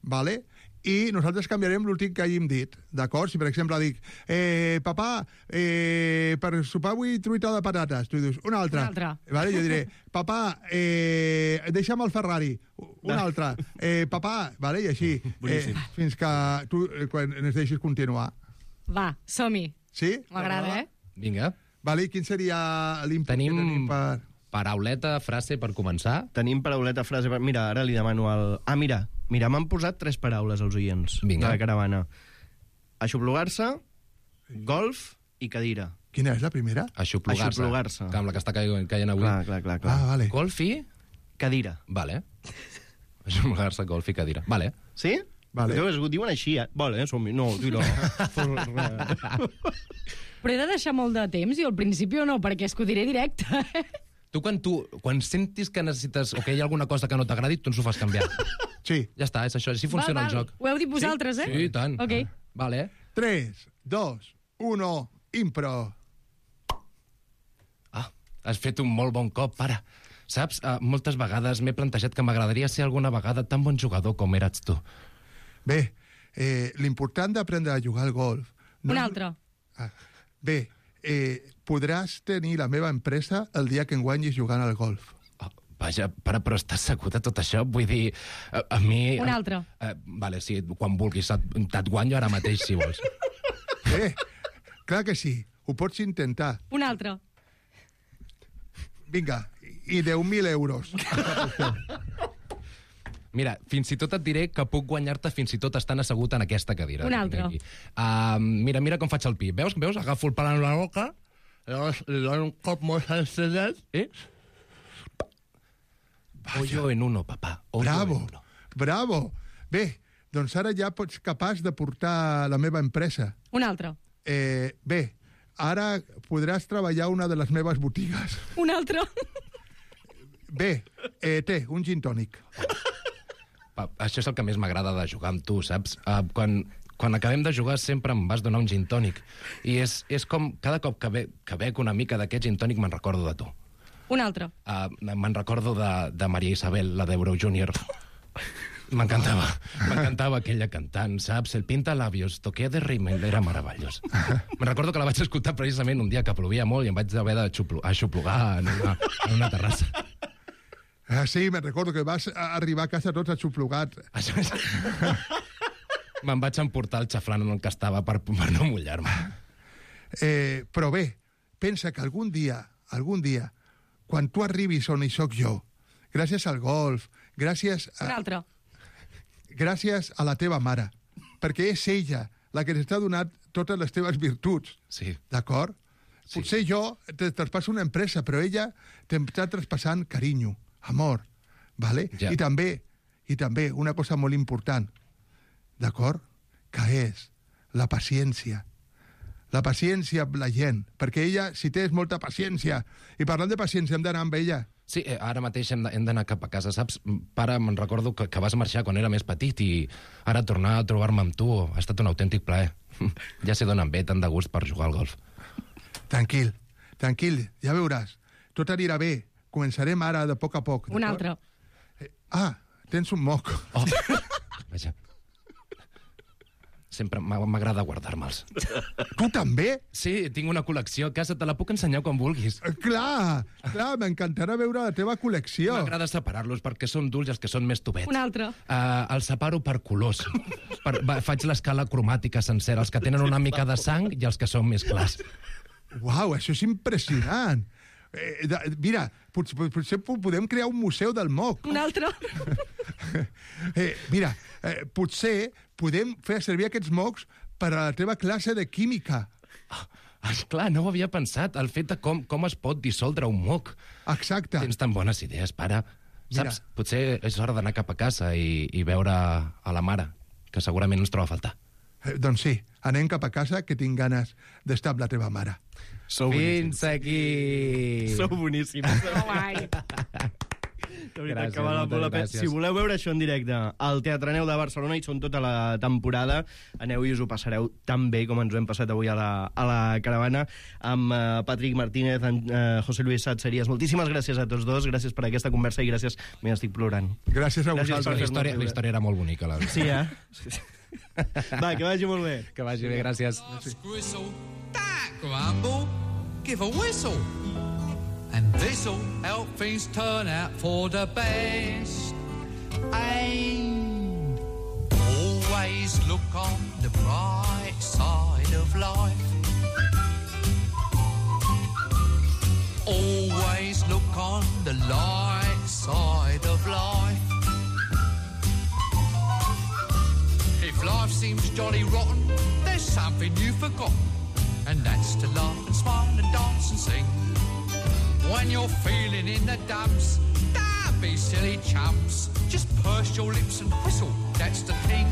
Vale? i nosaltres canviarem l'últim que hàgim dit, d'acord? Si, per exemple, dic, eh, papà, eh, per sopar avui truita de patates, tu dius, una altra. Una altra. Vale? Jo diré, papà, eh, deixa'm el Ferrari, una altra. Eh, papà, vale? I així, eh, fins que tu eh, quan ens deixis continuar. Va, som-hi. Sí? M'agrada, eh? Vinga. Vale, i quin seria l'input Tenim, que tenim per... parauleta, frase per començar. Tenim parauleta, frase... Per... Mira, ara li demano el... Ah, mira, mira, m'han posat tres paraules als oients Vinga. de la caravana. Aixoplugar-se, golf i cadira. Quina és la primera? Aixoplugar-se. Aixoplugar-se. Que amb la que està caient, caient avui. Clar, clar, clar. clar. Ah, vale. Golf i... Cadira. Vale. Aixoplugar-se, golf i cadira. Vale. Sí? Vale. Llavors, ho diuen així, eh? Vale, eh? Som-hi. No, tira. Però he de deixar molt de temps, i al principi no, perquè és que ho diré directe. Tu quan, tu, quan sentis que necessites o que hi ha alguna cosa que no t'agradi, tu ens ho fas canviar. Sí. Ja està, és això, així funciona val, el val. joc. Ho heu dit vosaltres, eh? Sí, i tant. Ok. Vale. tres, dos, uno, impro. Ah, has fet un molt bon cop, pare. Saps, uh, moltes vegades m'he plantejat que m'agradaria ser alguna vegada tan bon jugador com eres tu. Bé, eh, l'important d'aprendre a jugar al golf... Un és- altre. Ah, bé, eh, podràs tenir la meva empresa el dia que em guanyis jugant al golf. Oh, vaja, pare, però estàs segur de tot això? Vull dir, a, a mi... Un altre. Uh, vale, sí, quan vulguis, et- te't guanyo ara mateix, si vols. Bé, clar que sí, ho pots intentar. Un altre. Vinga, i deu mil euros. Mira, fins i tot et diré que puc guanyar-te fins i tot estant assegut en aquesta cadira. Un que altre. tinc aquí. Uh, mira, mira com faig el pi. Veus? Veus? Agafo el pal en la boca, llavors li dono un cop molt sencedet, eh? Hoyo en uno, papà. Hoyo Bravo, en uno. bravo. Bé, doncs ara ja pots capaç de portar la meva empresa. Un altre. Eh, bé, ara podràs treballar a una de les meves botigues. Un altre. Bé, eh, té, un gin tònic. Pa, això és el que més m'agrada de jugar amb tu, saps? Uh, quan, quan acabem de jugar sempre em vas donar un gin tònic. I és, és com cada cop que, be, que bec una mica d'aquest gin tònic me'n recordo de tu. Un altre. Uh, me'n recordo de, de Maria Isabel, la d'Euro Júnior. M'encantava. M'encantava aquella cantant, saps? El pintalabios, toqué de rímel, era meravellós. Me'n recordo que la vaig escoltar precisament un dia que plovia molt i em vaig haver d'aixoplugar en, una, en una terrassa. Ah, sí, me'n recordo que vas a arribar a casa tots aixoplugat. Això és... Me'n vaig emportar el xaflant en el que estava per, per no mullar-me. Eh, però bé, pensa que algun dia, algun dia, quan tu arribis on hi soc jo, gràcies al golf, gràcies Un a, altre. gràcies a la teva mare, perquè és ella la que t'està donant totes les teves virtuts, Sí. d'acord? Sí. Potser jo te traspasso una empresa, però ella t'està traspassant carinyo, amor, vale? Ja. I també, i també una cosa molt important, d'acord? Que és la paciència. La paciència amb la gent, perquè ella, si tens molta paciència, i parlant de paciència, hem d'anar amb ella. Sí, eh, ara mateix hem de- hem d'anar cap a casa, saps? Pare, me'n recordo que, que vas marxar quan era més petit i ara tornar a trobar-me amb tu ha estat un autèntic plaer. Ja sé d'on em ve tant de gust per jugar al golf. Tranquil, tranquil, ja veuràs. Tot anirà bé. Començarem ara de poc a poc. Un d'acord? altre. Eh, ah, tens un moc. Oh, vaja. Sempre m'ha- m'agrada guardar-me'ls. Tu també? Sí, tinc una col·lecció a casa, te la puc ensenyar quan vulguis. Eh, clar, clar, m'encantarà veure la teva col·lecció. M'agrada separar-los perquè són dulls i els que són més tubets. Un altre. Uh, els separo per colors. Per, va, faig l'escala cromàtica sencera, els que tenen una mica de sang i els que són més clars. Uau, això és impressionant. Eh, de, mira, potser, potser po- podem crear un museu del moc. Un altre. Eh, mira, eh, potser podem fer servir aquests mocs per a la teva classe de química. Ah, esclar, no ho havia pensat, el fet de com, com es pot dissoldre un moc. Exacte. Tens tan bones idees, pare. Mira. Saps, potser és hora d'anar cap a casa i, i veure a la mare, que segurament ens troba a faltar. Eh, doncs sí, anem cap a casa, que tinc ganes d'estar amb la teva mare. Sou Fins aquí! Sou boníssims. Oh, ai. De veritat Gràcies, que val molt moltes la pena. gràcies. Si voleu veure això en directe al Teatre Neu de Barcelona, i són tota la temporada, aneu i us ho passareu tan bé com ens ho hem passat avui a la, a la caravana amb uh, Patrick Martínez, amb uh, José Luis Satseries. Moltíssimes gràcies a tots dos, gràcies per aquesta conversa i gràcies, m'estic plorant. Gràcies a Gràcies vosaltres. per La fer-nos història, riure. la història era molt bonica, la Sí, eh? Va, que vagi molt bé. Que vagi bé, gràcies. Whistle, that grumble, give a whistle. And this'll help things turn out for the best. And always look on the bright side of life. Always look on the light side of life. If life seems jolly rotten, there's something you've forgotten, and that's to laugh and smile and dance and sing. When you're feeling in the dumps, don't be silly chumps. Just purse your lips and whistle, that's the thing.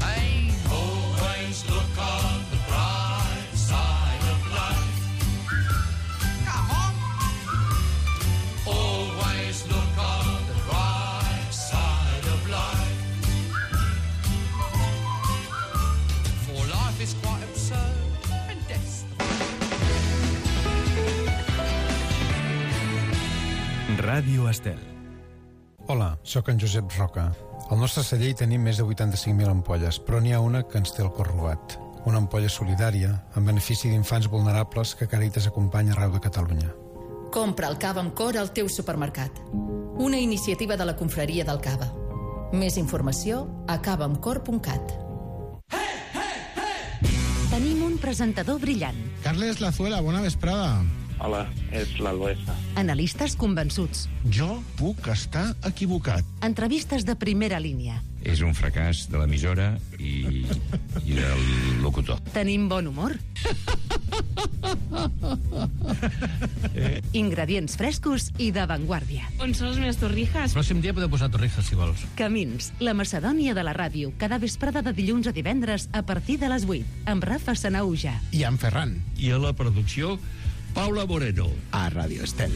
Hey, always look on the bright side of life. Come on. Always look on the bright side of life. For life is quite absurd, and death's the Ràdio Estel. Hola, sóc en Josep Roca. Al nostre celler hi tenim més de vuitanta-cinc mil ampolles, però n'hi ha una que ens té el cor robat. Una ampolla solidària, en benefici d'infants vulnerables que Càritas acompanya arreu de Catalunya. Compra el cava amb cor al teu supermercat. Una iniciativa de la confraria del cava. Més informació a cava amb cor punt cat. Tenim un presentador brillant. Carles Lazuela, bona vesprada. Hola, és l'Albesa. Analistes convençuts. Jo puc estar equivocat. Entrevistes de primera línia. És un fracàs de l'emissora i, i del locutor. Tenim bon humor. Ingredients frescos i d'avantguàrdia. On són les meves torrijas? Pròxim dia podeu posar torrijas, si vols. Camins, la Macedònia de la ràdio, cada vesprada de dilluns a divendres a partir de les vuit, amb Rafa Sanauja. I en Ferran. I a la producció, Paula Moreno. A Ràdio Estel.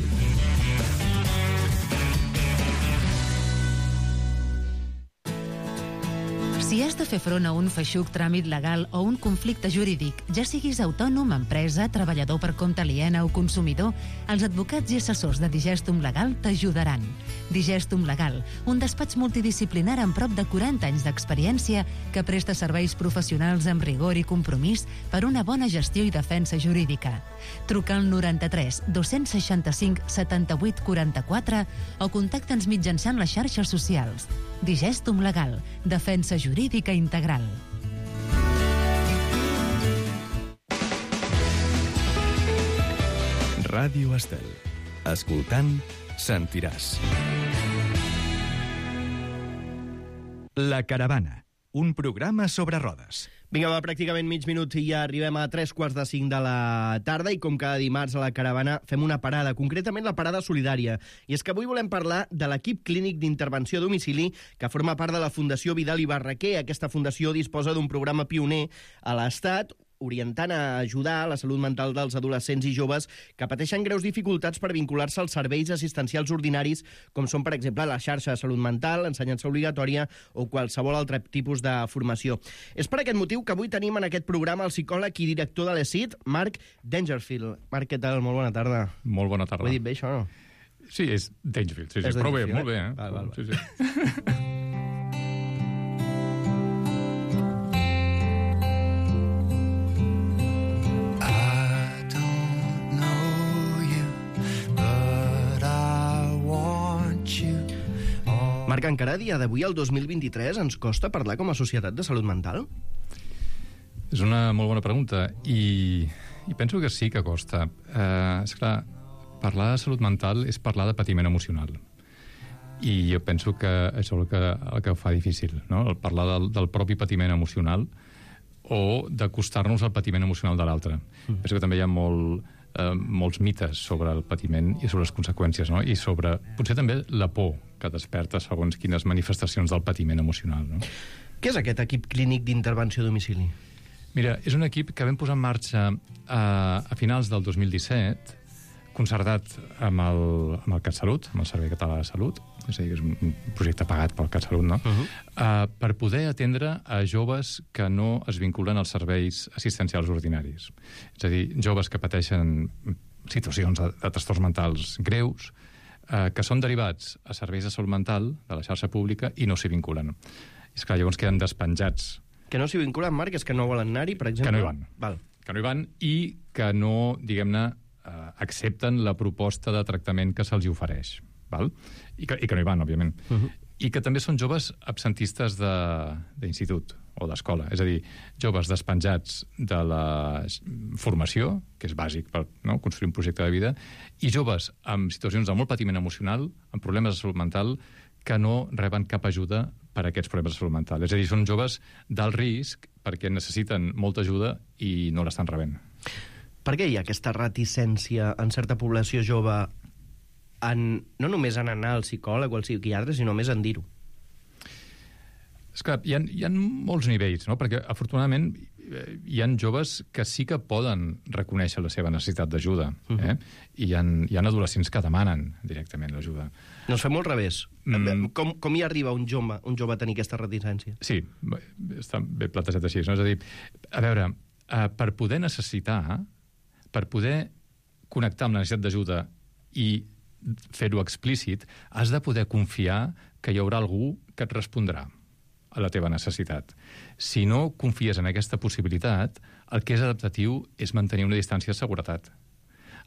Si has de fer front a un feixuc tràmit legal o un conflicte jurídic, ja siguis autònom, empresa, treballador per compte aliena o consumidor, els advocats i assessors de Digestum Legal t'ajudaran. Digestum Legal, un despatx multidisciplinar amb prop de quaranta anys d'experiència que presta serveis professionals amb rigor i compromís per una bona gestió i defensa jurídica. Truca al noranta-tres dos-cents seixanta-cinc setanta-vuit quaranta-quatre o contacta'ns mitjançant les xarxes socials. Digestum Legal, defensa jurídica integral. Ràdio Estel. Escoltant, sentiràs. La Caravana, un programa sobre rodes. Vinga, va, pràcticament mig minut i ja arribem a tres quarts de cinc de la tarda i com cada dimarts a la Caravana fem una parada, concretament la parada solidària. I és que avui volem parlar de l'equip clínic d'intervenció a domicili que forma part de la Fundació Vidal i Barraquer. Aquesta fundació disposa d'un programa pioner a l'Estat orientant a ajudar la salut mental dels adolescents i joves que pateixen greus dificultats per vincular-se als serveis assistencials ordinaris, com són, per exemple, la xarxa de salut mental, l'ensenyança obligatòria o qualsevol altre tipus de formació. És per aquest motiu que avui tenim en aquest programa el psicòleg i director de l'E S I D, Marc Dangerfield. Marc, què tal? Molt bona tarda. Molt bona tarda. Ho he dit bé, això, no? Sí, és Dangerfield, sí, sí. És Però bé, Dangerfield, molt bé, eh? Val, val, val. Sí, sí. Marc, encara a dia d'avui, el dos mil vint-i-tres, ens costa parlar com a societat de salut mental? És una molt bona pregunta i, i penso que sí que costa. Eh, és clar, parlar de salut mental és parlar de patiment emocional. I jo penso que això és el que, el que ho fa difícil, no? El parlar del, del propi patiment emocional o d'acostar-nos al patiment emocional de l'altre. Mm. Penso que també hi ha molt, eh, molts mites sobre el patiment i sobre les conseqüències, no? I sobre, potser també, la por que desperta segons quines manifestacions del patiment emocional, no? Què és aquest equip clínic d'intervenció a domicili? Mira, és un equip que vam posar en marxa a, a finals del dos mil disset concertat amb el, amb el CatSalut, amb el Servei Català de Salut, és a dir, és un projecte pagat pel CatSalut, no? Uh-huh. uh, per poder atendre a joves que no es vinculen als serveis assistencials ordinaris. És a dir, joves que pateixen situacions de, de trastorns mentals greus, uh, que són derivats a serveis de salut mental de la xarxa pública i no s'hi vinculen. És clar, llavors queden despenjats. Que no s'hi vinculen, Marc, és que no volen anar-hi, per exemple? Que no hi van. Val. Que no hi van i que no, diguem-ne, eh, accepten la proposta de tractament que se'ls ofereix. Val? I, que, I que no hi van, òbviament. Uh-huh. I que també són joves absentistes d'institut o d'escola. És a dir, joves despenjats de la formació, que és bàsic per no, construir un projecte de vida, i joves amb situacions de molt patiment emocional, amb problemes de salut mental, que no reben cap ajuda per a aquests problemes de salut mental. És a dir, són joves d'alt risc perquè necessiten molta ajuda i no l'estan rebent. Per què hi ha aquesta reticència en certa població jove en, no només en anar al psicòleg o al psiquiatre, sinó més en dir-ho? És clar, hi ha, hi ha molts nivells, no? Perquè, afortunadament, hi ha joves que sí que poden reconèixer la seva necessitat d'ajuda. Eh? Uh-huh. I hi ha, hi ha adolescents que demanen directament l'ajuda. No es fem al revés. Mm. Com, com hi arriba un jove, un jove a tenir aquesta reticència? Sí, està bé plantejat així. No? És a dir, a veure, eh, per poder necessitar, per poder connectar amb la necessitat d'ajuda i fer-ho explícit, has de poder confiar que hi haurà algú que et respondrà a la teva necessitat. Si no confies en aquesta possibilitat, el que és adaptatiu és mantenir una distància de seguretat.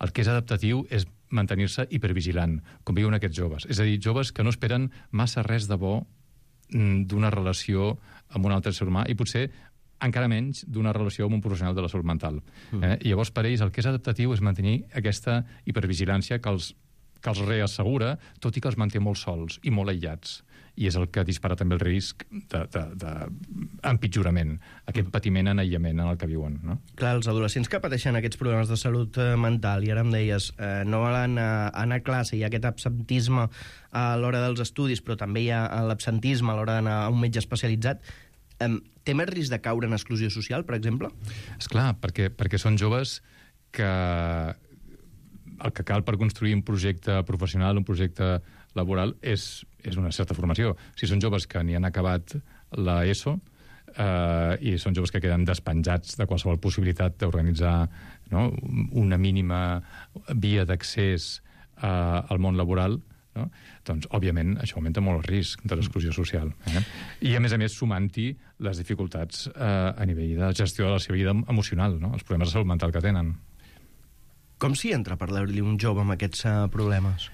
El que és adaptatiu és mantenir-se hipervigilant, com viuen aquests joves. És a dir, joves que no esperen massa res de bo d'una relació amb un altre ser humà i potser encara menys d'una relació amb un professional de la salut mental. Mm. Eh? I llavors, per ells, el que és adaptatiu és mantenir aquesta hipervigilància que els, que els reassegura, tot i que els manté molt sols i molt aïllats. I és el que dispara també el risc d'empitjorament, aquest patiment en aïllament en el que viuen. No? Clar, els adolescents que pateixen aquests problemes de salut mental, i ara em deies, eh, no volen anar a classe, hi ha aquest absentisme a l'hora dels estudis, però també hi ha l'absentisme a l'hora d'anar a un metge especialitzat, eh, té més risc de caure en exclusió social, per exemple? Esclar, perquè, perquè són joves que el que cal per construir un projecte professional, un projecte laboral, és, és una certa formació. Si són joves que ni han acabat l'ESO eh, i són joves que queden despenjats de qualsevol possibilitat d'organitzar no, una mínima via d'accés eh, al món laboral, no? Doncs, òbviament, això augmenta molt el risc de l'exclusió social. Eh? I, a més a més, sumant-hi les dificultats eh, a nivell de gestió de la seva vida emocional, no? Els problemes de salut mental que tenen. Com s'hi entra a parlar-li un jove amb aquests uh, problemes?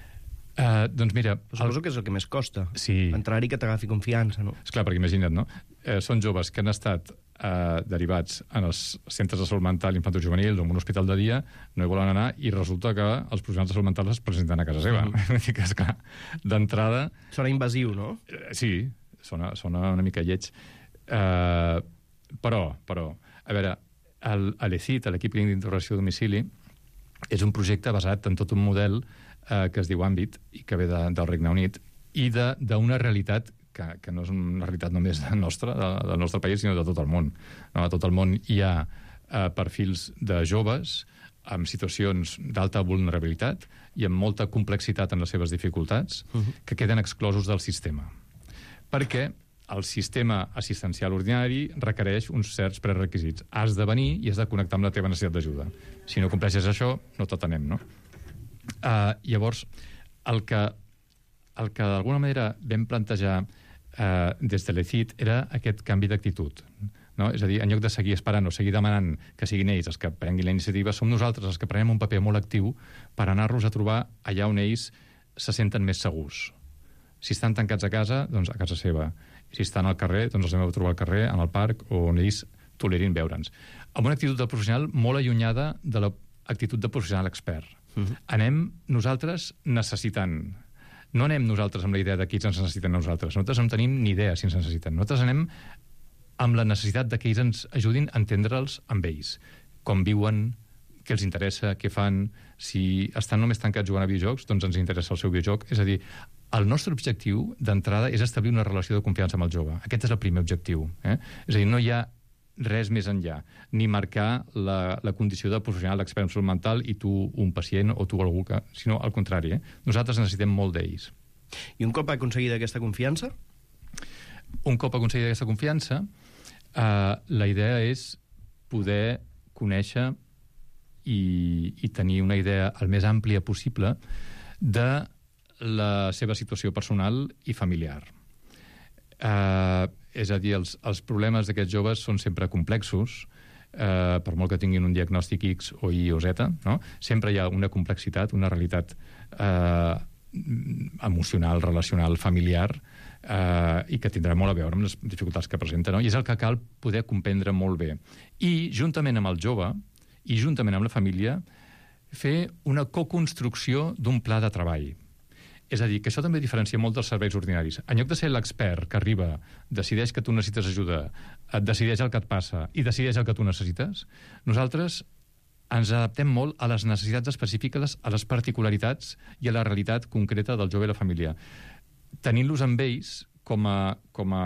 Uh, doncs mira... Suposo el... que és el que més costa. Sí. Entrar-hi que t'agafi confiança, no? Esclar, perquè imagina't, no? Eh, són joves que han estat eh, derivats en els centres de salut mental infantojuvenils o en un hospital de dia, no hi volen anar, i resulta que els professionals de salut mental es presenten a casa seva. Mm. Vull dir que, esclar, d'entrada... Sona invasiu, no? Eh, sí, sona, sona una mica lleig. Eh, però, però, a veure, l'E C I T, l'equip clínic d'interrogació a domicili, és un projecte basat en tot un model eh, que es diu Àmbit i que ve de, del Regne Unit i d'una realitat que, que no és una realitat només nostra, de, del nostre país, sinó de tot el món. No? A tot el món hi ha eh, perfils de joves amb situacions d'alta vulnerabilitat i amb molta complexitat en les seves dificultats uh-huh. que queden exclosos del sistema. Perquè el sistema assistencial ordinari requereix uns certs prerequisits. Has de venir i has de connectar amb la teva necessitat d'ajuda. Si no compleixes això, no t'atenem, no? Uh, llavors, el que, el que d'alguna manera vam plantejar uh, des de l'E C I T era aquest canvi d'actitud. No? És a dir, en lloc de seguir esperant o seguir demanant que siguin ells els que prenguin la iniciativa, som nosaltres els que prenem un paper molt actiu per anar-los a trobar allà on ells se senten més segurs. Si estan tancats a casa, doncs a casa seva. Si estan al carrer, doncs els anem a trobar al carrer, en el parc, on ells tolerin veure'ns. Amb una actitud de professional molt allunyada de l'actitud de professional expert. Uh-huh. Anem nosaltres necessitant. No anem nosaltres amb la idea de qui ens necessiten nosaltres. Nosaltres no tenim ni idea si ens necessiten. Nosaltres anem amb la necessitat de que ells ens ajudin a entendre'ls amb ells. Com viuen, què els interessa, què fan. Si estan només tancats jugant a videojocs, doncs ens interessa el seu videojoc. És a dir, el nostre objectiu d'entrada és establir una relació de confiança amb el jove. Aquest és el primer objectiu. Eh? És a dir, no hi ha res més enllà, ni marcar la, la condició de professional d'expert en salut mental i tu un pacient o tu algú que... Sinó al contrari, eh? Nosaltres necessitem molt d'ells. I un cop aconseguida aquesta confiança? Un cop aconseguida aquesta confiança, eh, la idea és poder conèixer i, i tenir una idea el més àmplia possible de la seva situació personal i familiar. Eh, és a dir, els, els problemes d'aquests joves són sempre complexos, eh, per molt que tinguin un diagnòstic X o Y o Z, no? Sempre hi ha una complexitat, una realitat eh, emocional, relacional, familiar, eh, i que tindrà molt a veure amb les dificultats que presenta, no? I és el que cal poder comprendre molt bé. I, juntament amb el jove, i juntament amb la família, fer una coconstrucció d'un pla de treball. És a dir, que això també diferencia molt dels serveis ordinaris. En lloc de ser l'expert que arriba, decideix que tu necessites ajuda, et decideix el que et passa i decideix el que tu necessites, nosaltres ens adaptem molt a les necessitats específiques, a les particularitats i a la realitat concreta del jove i la família, tenint-los amb ells com a, com a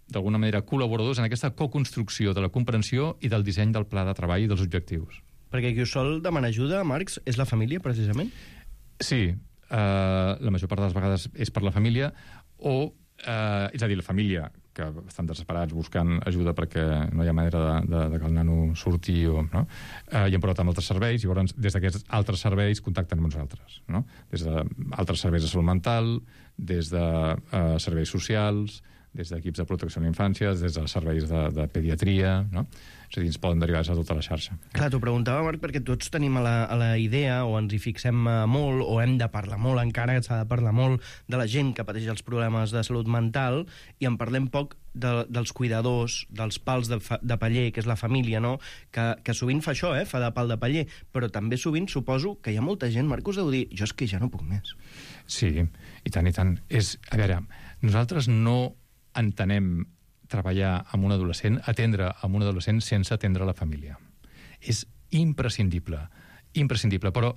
d'alguna manera, col·laboradors en aquesta coconstrucció de la comprensió i del disseny del pla de treball i dels objectius. Perquè qui us sol demanar ajuda, Marcs, és la família, precisament? Sí, Uh, la major part de les vegades és per la família o, uh, és a dir, la família que estan desesperats buscant ajuda perquè no hi ha manera de, de, de que el nano surti o, no? uh, i hem provat amb altres serveis i llavors des d'aquests altres serveis contacten amb nosaltres, no? Des d'altres serveis de salut mental, des de uh, serveis socials, des d'equips de protecció a la infància, des de serveis de, de pediatria, no? És a dir, ens poden derivar a tota la xarxa. Clar, t'ho preguntava, Marc, perquè tots tenim a la, a la idea, o ens hi fixem molt, o hem de parlar molt, encara s'ha de parlar molt de la gent que pateix els problemes de salut mental, i en parlem poc de, dels cuidadors, dels pals de, fa, de paller, que és la família, no? Que, que sovint fa això, eh? Fa de pal de paller, però també sovint suposo que hi ha molta gent, Marc, us deu dir, jo és que ja no puc més. Sí, i tant, i tant. És, a veure, nosaltres no entenem treballar amb un adolescent, atendre amb un adolescent sense atendre la família. És imprescindible, imprescindible, però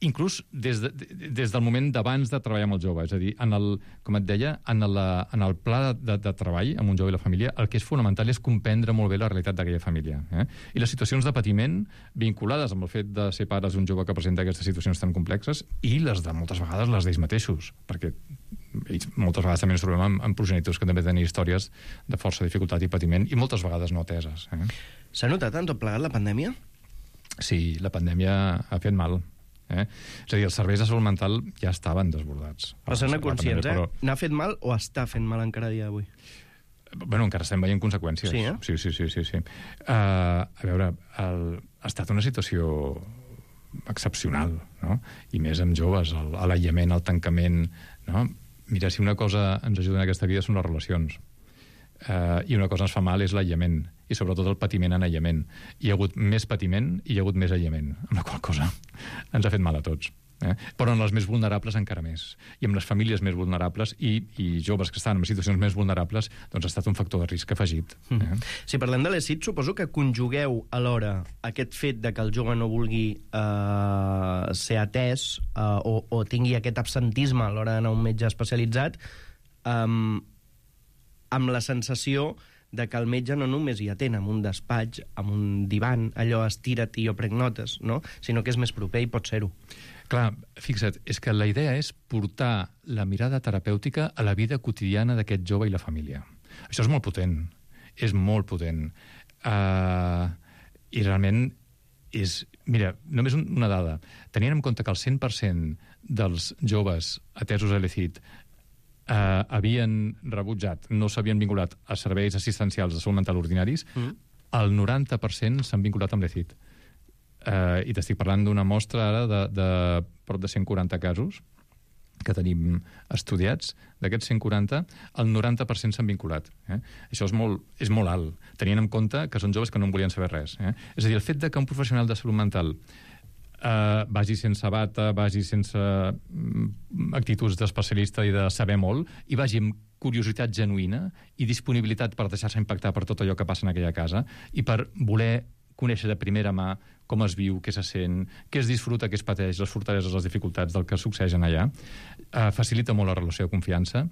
inclús des, de, des del moment d'abans de treballar amb el jove, és a dir, en el, com et deia, en, la, en el pla de, de treball amb un jove i la família, el que és fonamental és comprendre molt bé la realitat d'aquella família. Eh? I les situacions de patiment vinculades amb el fet de ser pares d'un jove que presenta aquestes situacions tan complexes i les de moltes vegades les d'ells mateixos, perquè ells moltes vegades també ens trobem amb, amb progenitors que també tenen històries de força dificultat i patiment i moltes vegades no ateses. Eh? S'ha notat en tot plegat la pandèmia? Sí, la pandèmia ha fet mal. Eh? És a dir, els serveis de salut mental ja estaven desbordats. Però s'han conscients, eh? Però... N'ha fet mal o està fent mal encara a dia d'avui? Bueno, encara estem veient conseqüències. Sí, eh? Sí, sí, sí. sí, sí. Uh, a veure, el... ha estat una situació excepcional, no? I més amb joves, l'aïllament, el tancament, no? Mira, si una cosa ens ajuda en aquesta vida són les relacions. Uh, I una cosa ens fa mal és l'aïllament, i sobretot el patiment en aïllament. Hi ha hagut més patiment i hi ha hagut més aïllament, amb la qual cosa ens ha fet mal a tots. Eh? Però en els més vulnerables encara més. I amb les famílies més vulnerables i, i joves que estan en situacions més vulnerables, doncs ha estat un factor de risc afegit. Eh? Mm. Si parlem de l'E S I D, suposo que conjugueu alhora aquest fet de que el jove no vulgui eh, ser atès eh, o, o tingui aquest absentisme a l'hora d'anar a un metge especialitzat eh, amb la sensació de que el metge no només hi atén amb un despatx, amb un divan, allò estira't i jo prenc notes, no? Sinó que és més proper i pot ser-ho. Clar, fixa't, és que la idea és portar la mirada terapèutica a la vida quotidiana d'aquest jove i la família. Això és molt potent, és molt potent. Uh, I realment és... Mira, només una dada. Tenint en compte que el cent per cent dels joves atesos a l'E S I D Uh, havien rebutjat, no s'havien vinculat a serveis assistencials de salut mental ordinaris, mm. el noranta per cent s'han vinculat amb l'E S I D. Uh, I t'estic parlant d'una mostra ara de, de prop de cent quaranta casos que tenim estudiats. D'aquests cent quaranta, el noranta per cent s'han vinculat. Eh? Això és molt, és molt alt, tenint en compte que són joves que no en volien saber res. Eh? És a dir, el fet de que un professional de salut mental Uh, vagi sense bata, vagi sense um, actituds d'especialista i de saber molt, i vagi amb curiositat genuïna i disponibilitat per deixar-se impactar per tot allò que passa en aquella casa i per voler conèixer de primera mà com es viu, què se sent, què es disfruta, què es pateix, les fortaleses, les dificultats del que succeeixen allà. Uh, facilita molt la relació de confiança,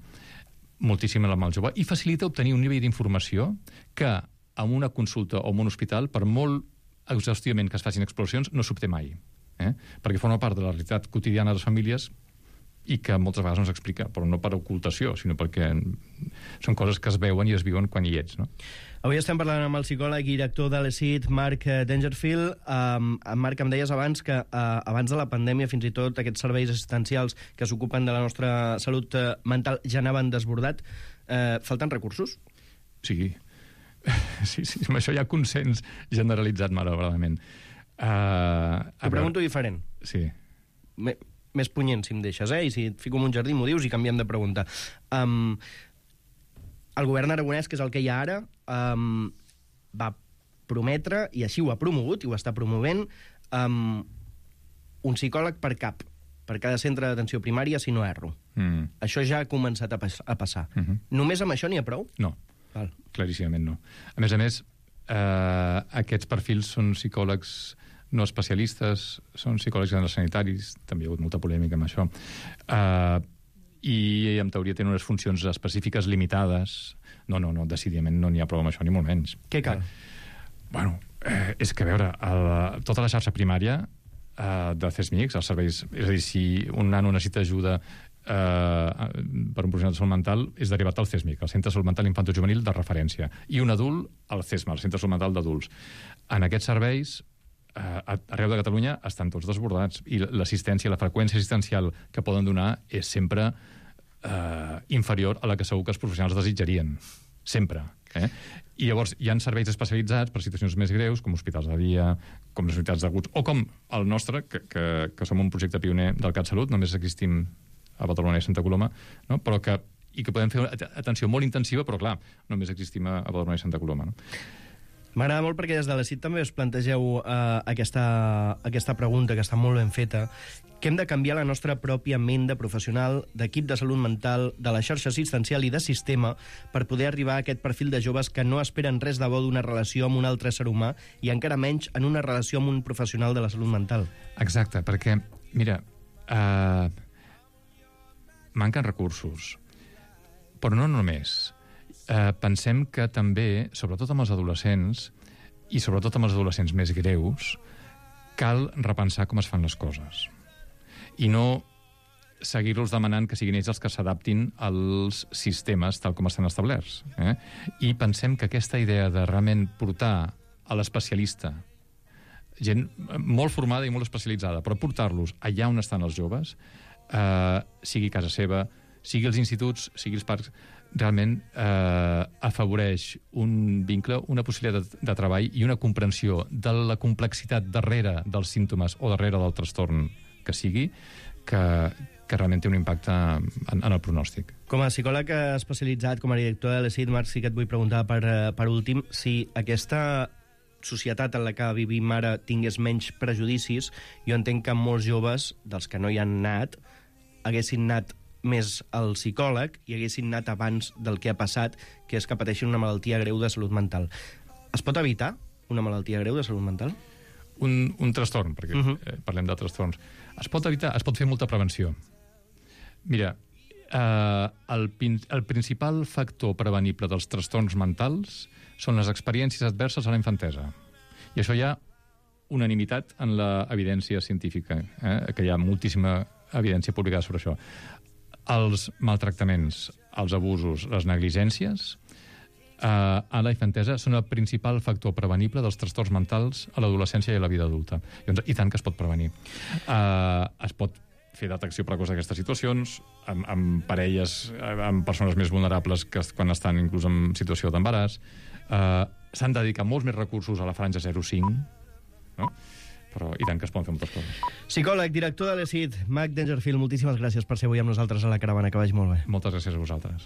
moltíssim amb el jove, i facilita obtenir un nivell d'informació que en una consulta o en un hospital, per molt exhaustivament que es facin exploracions, no s'obté mai. Eh? Perquè forma part de la realitat quotidiana de les famílies i que moltes vegades no s'explica, però no per ocultació, sinó perquè són coses que es veuen i es viuen quan hi ets, no? Avui estem parlant amb el psicòleg i director de l'E S I D, Marc Dangerfield. Um, Marc, em deies abans que uh, abans de la pandèmia fins i tot aquests serveis assistencials que s'ocupen de la nostra salut uh, mental ja anaven desbordat. Uh, falten recursos? Sí. Sí, sí, amb això hi ha consens generalitzat, malauradament. Uh, T'ho pregunto diferent. Sí. Me, més punyent, si em deixes, eh? I si et fico en un jardí m'ho dius i canviem de pregunta. Um, el govern aragonès, que és el que hi ha ara, um, va prometre, i així ho ha promogut, i ho està promovent, um, un psicòleg per cap, per cada centre d'atenció primària, si no erro. Mm. Això ja ha començat a, pas a passar. Mm-hmm. Només amb això n'hi ha prou? No. Val. Claríssimament no. A més a més, eh, aquests perfils són psicòlegs no especialistes, són psicòlegs generals sanitaris, també hi ha hagut molta polèmica amb això, eh, i en teoria tenen unes funcions específiques limitades. No, no, no, decididament no n'hi ha prou amb això, ni molt menys. Què cal? Eh, bueno, eh, és que, a veure, el, tota la xarxa primària eh, de C E S M I C, els serveis, és a dir, si un nano necessita ajuda eh, per un professional de salut mental, és derivat al C E S M I C, el Centre de Salut Mental Infantojuvenil de referència, i un adult al C E S M A, el Centre de Salut Mental d'Adults. En aquests serveis, eh, arreu de Catalunya, estan tots desbordats, i l'assistència, la freqüència assistencial que poden donar és sempre eh, inferior a la que segur que els professionals desitjarien. Sempre. Eh? I llavors hi ha serveis especialitzats per situacions més greus, com hospitals de dia, com les unitats d'aguts, o com el nostre, que, que, que som un projecte pioner del CatSalut, només existim a Badalona i Santa Coloma, no? Però que, i que podem fer atenció molt intensiva, però clar, només existim a Badalona i Santa Coloma. No? M'agrada molt perquè des de l'E S I D també us plantegeu uh, aquesta, aquesta pregunta, que està molt ben feta, que hem de canviar la nostra pròpia ment de professional, d'equip de salut mental, de la xarxa assistencial i de sistema per poder arribar a aquest perfil de joves que no esperen res de bo d'una relació amb un altre ser humà i encara menys en una relació amb un professional de la salut mental. Exacte, perquè, mira, eh, manquen recursos, però no només. Eh, pensem que també, sobretot amb els adolescents, i sobretot amb els adolescents més greus, cal repensar com es fan les coses. I no seguir-los demanant que siguin ells els que s'adaptin als sistemes tal com estan establerts. Eh? I pensem que aquesta idea de realment portar a l'especialista, gent molt formada i molt especialitzada, però portar-los allà on estan els joves, eh, sigui casa seva, sigui els instituts, sigui els parcs, realment eh, afavoreix un vincle, una possibilitat de, de treball i una comprensió de la complexitat darrere dels símptomes o darrere del trastorn que sigui, que, que realment té un impacte en, en el pronòstic. Com a psicòleg especialitzat, com a director de l'E S I D, Marc, sí que et vull preguntar per, per últim si aquesta societat en la que vivim ara tingués menys prejudicis. Jo entenc que molts joves, dels que no hi han anat, haguessin anat més al psicòleg i haguessin anat abans del que ha passat, que és que pateixin una malaltia greu de salut mental. Es pot evitar una malaltia greu de salut mental? Un, un trastorn, perquè uh-huh. eh, parlem de trastorns. Es pot evitar, es pot fer molta prevenció. Mira, eh, el, el principal factor prevenible dels trastorns mentals són les experiències adverses a la infantesa. I això hi ha unanimitat en l'evidència científica, eh, que hi ha moltíssima evidència publicada sobre això. Els maltractaments, els abusos, les negligències eh, a la infantesa són el principal factor prevenible dels trastorns mentals a l'adolescència i a la vida adulta. I, I tant que es pot prevenir. Eh, es pot fer detecció precoç d'aquestes situacions amb, amb parelles, amb persones més vulnerables que quan estan inclús en situació d'embaràs. Eh, S'han de dedicar molts més recursos a la franja zero cinc, no? Però i tant que es poden fer moltes coses. Psicòleg, director de l'E S I D, Marc Dangerfield, moltíssimes gràcies per ser avui amb nosaltres a La Caravana, que vagi molt bé. Moltes gràcies a vosaltres.